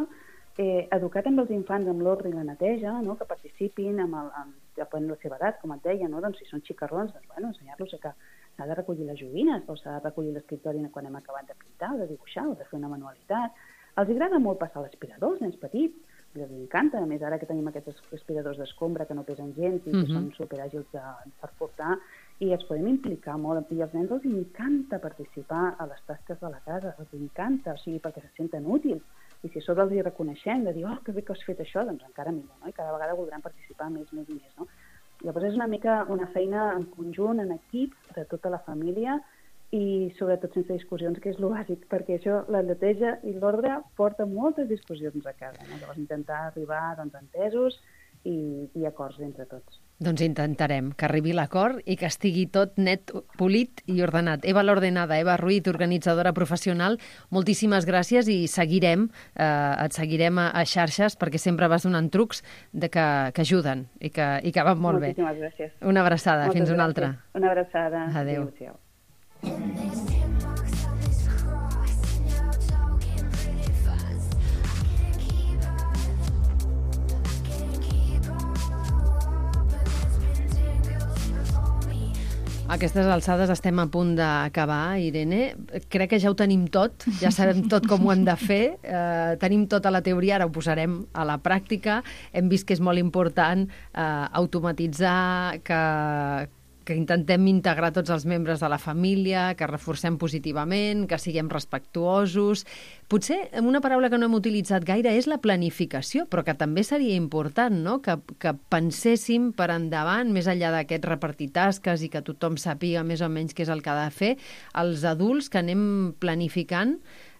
eh, educar també els infants amb l'ordre i la neteja, no? Que participin amb, el, amb, amb la seva edat, com et deia, no? Doncs si són xicarrons, doncs, bueno, ensenyar-los que s'ha de recollir les joguines o s'ha de recollir l'escriptori quan hem acabat de pintar o de dibuixar o de fer una manualitat. Els agrada molt passar l'aspirador, els nens petits, els encanta, a més ara que tenim aquests aspiradors d'escombra que no pesen gens i que uh-huh. són superàgils de, per portar, i els podem implicar molt, i als nens els encanta participar a les tasques de la casa, els encanta, o sigui, perquè se senten útils, i si a sobre els hi reconeixem de dir, oh, que bé que has fet això, doncs encara millor, no? I cada vegada voldran participar més, més i més, no? Llavors és una mica una feina en conjunt, en equip, de tota la família, i sobretot sense discussions, que és el bàsic, perquè això, la neteja i l'ordre porta moltes discussions a casa, no? Llavors intentar arribar doncs, a entesos i, i acords entre tots. Doncs intentarem que arribi l'acord i que estigui tot net, polit i ordenat. Eva l'Ordenada, Eva Ruiz, organitzadora professional, moltíssimes gràcies i seguirem, eh, et seguirem a, a xarxes perquè sempre vas donant trucs de que, que ajuden i que, i que van molt Moltíssimes bé. Moltíssimes gràcies. Una abraçada, Moltes fins una gràcies. altra. Una abraçada. Adéu. Adéu. A aquestes alçades estem a punt d'acabar, Irene. Crec que ja ho tenim tot, ja sabem tot com ho hem de fer, eh, tenim tota la teoria, ara ho posarem a la pràctica. Hem vist que és molt important eh, automatitzar, que, que intentem integrar tots els membres de la família, que reforcem positivament, que siguem respectuosos. Potser una paraula que no hem utilitzat gaire és la planificació, però que també seria important, no? Que, que penséssim per endavant, més enllà d'aquest repartir tasques i que tothom sàpiga més o menys què és el que ha de fer, els adults que anem planificant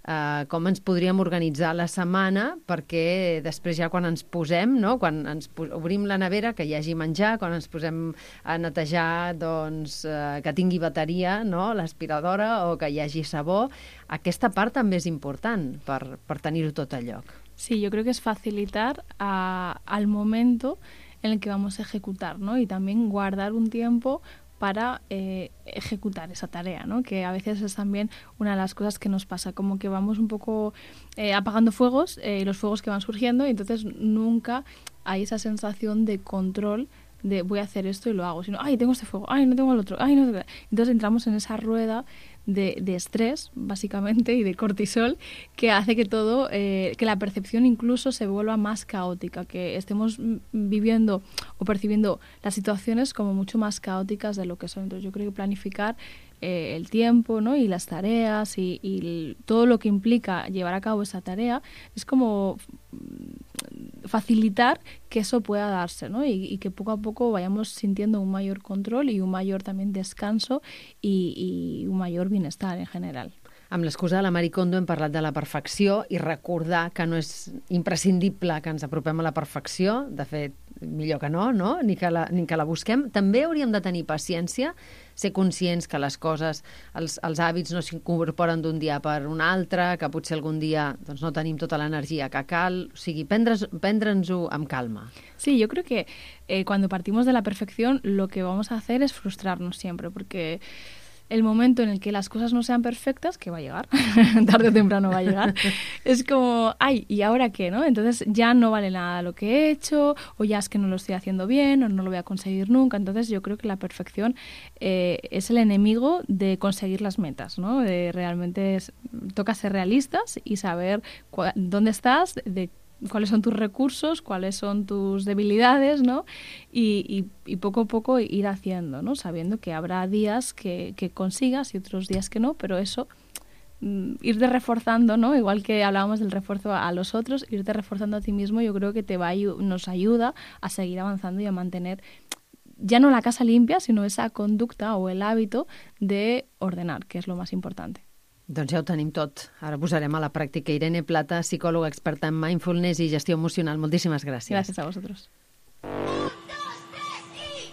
eh, com ens podríem organitzar la setmana perquè després ja quan ens posem, no? Quan ens obrim la nevera, que hi hagi menjar, quan ens posem a netejar, doncs, eh, que tingui bateria, no? L'aspiradora, o que hi hagi sabó. Aquesta part també és important per, per tenir-ho tot a lloc. Sí, yo creo que es facilitar a, al momento en el que vamos a ejecutar, ¿no? Y también guardar un tiempo para eh, ejecutar esa tarea, ¿no? Que a veces es también una de las cosas que nos pasa, como que vamos un poco eh, apagando fuegos, eh, los fuegos que van surgiendo, y entonces nunca hay esa sensación de control de voy a hacer esto y lo hago, sino, ay, tengo este fuego, ay, no tengo el otro, ay, no. Entonces entramos en esa rueda de, de estrés, básicamente, y de cortisol, que hace que todo, eh, que la percepción incluso se vuelva más caótica, que estemos viviendo o percibiendo las situaciones como mucho más caóticas de lo que son. Entonces yo creo que planificar eh, el tiempo, ¿no? Y las tareas y, y el, todo lo que implica llevar a cabo esa tarea es como facilitar que eso pueda darse, ¿no? Y, y que poco a poco vayamos sintiendo un mayor control y un mayor también descanso y, y un mayor bienestar en general. Amb l'excusa de la Marie Kondo hem parlat de la perfecció i recordar que no és imprescindible que ens apropem a la perfecció, de fet, millor que no, no? Ni que la, ni que la busquem. També hauríem de tenir paciència, ser conscients que les coses, els, els hàbits no s'incorporen d'un dia per un altre, que potser algun dia doncs, no tenim tota l'energia que cal, o sigui, prendre's, prendre'ns-ho amb calma. Sí, yo creo que eh, cuando partimos de la perfección lo que vamos a hacer es frustrarnos siempre, porque el momento en el que las cosas no sean perfectas, que va a llegar, tarde o temprano va a llegar, es como, ay, ¿y ahora qué? ¿No? Entonces ya no vale nada lo que he hecho, o ya es que no lo estoy haciendo bien, o no lo voy a conseguir nunca. Entonces yo creo que la perfección eh, es el enemigo de conseguir las metas, ¿no? De realmente es, toca ser realistas y saber cua, dónde estás, de cuáles son tus recursos, cuáles son tus debilidades, ¿no? Y, y, y poco a poco ir haciendo, ¿no? Sabiendo que habrá días que, que consigas y otros días que no, pero eso, mm, irte reforzando, ¿no? Igual que hablábamos del refuerzo a los otros, irte reforzando a ti mismo, yo creo que te va a, nos ayuda a seguir avanzando y a mantener ya no la casa limpia, sino esa conducta o el hábito de ordenar, que es lo más importante. Doncs ja ho tenim tot. Ara posarem a la pràctica. Irene Plata, psicòloga experta en mindfulness i gestió emocional. Moltíssimes gràcies. Gràcies a vosaltres.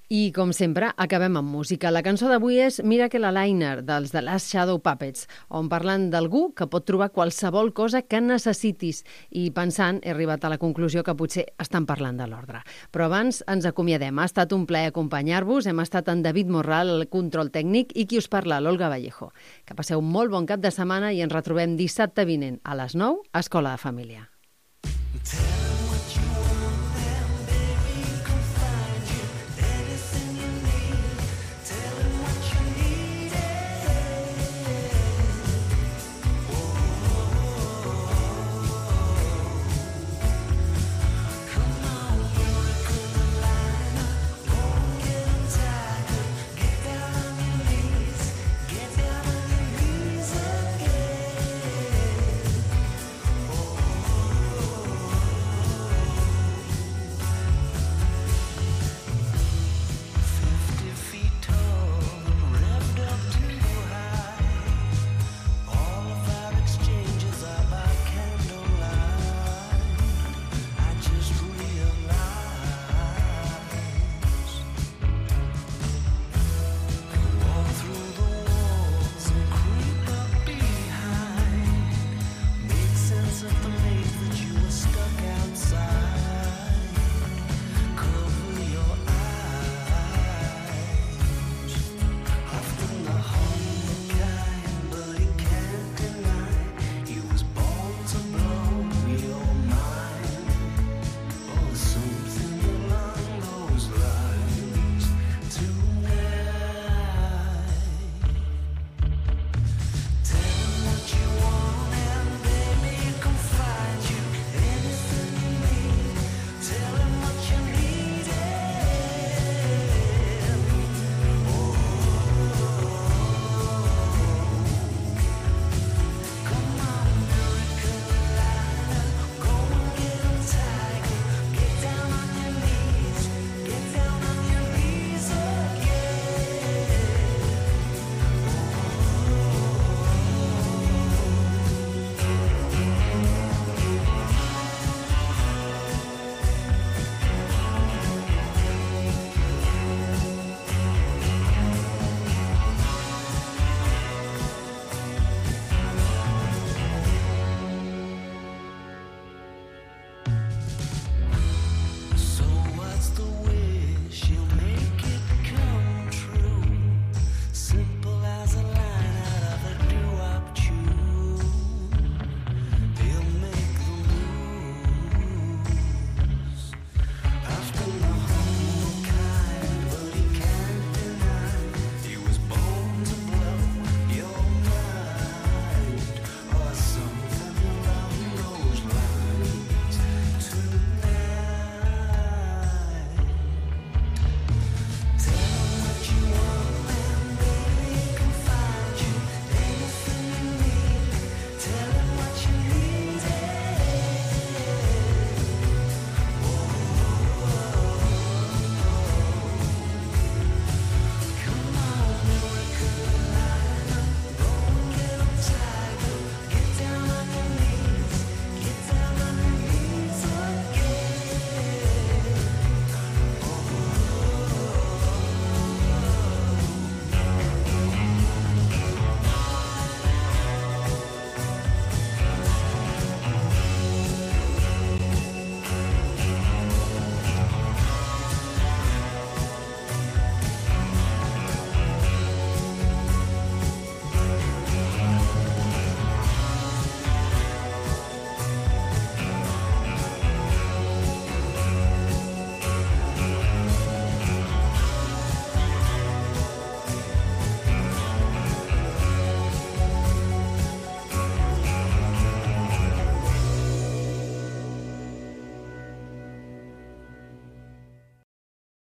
I, com sempre, acabem amb música. La cançó d'avui és Miracle Aligner, dels The Last Shadow Puppets, on parlen d'algú que pot trobar qualsevol cosa que necessitis. I pensant, he arribat a la conclusió que potser estan parlant de l'ordre. Però abans ens acomiadem. Ha estat un plaer acompanyar-vos. Hem estat en David Morral, el control tècnic, i qui us parla, l'Olga Vallejo. Que passeu un molt bon cap de setmana i ens retrobem dissabte vinent a les nou a Escola de Família.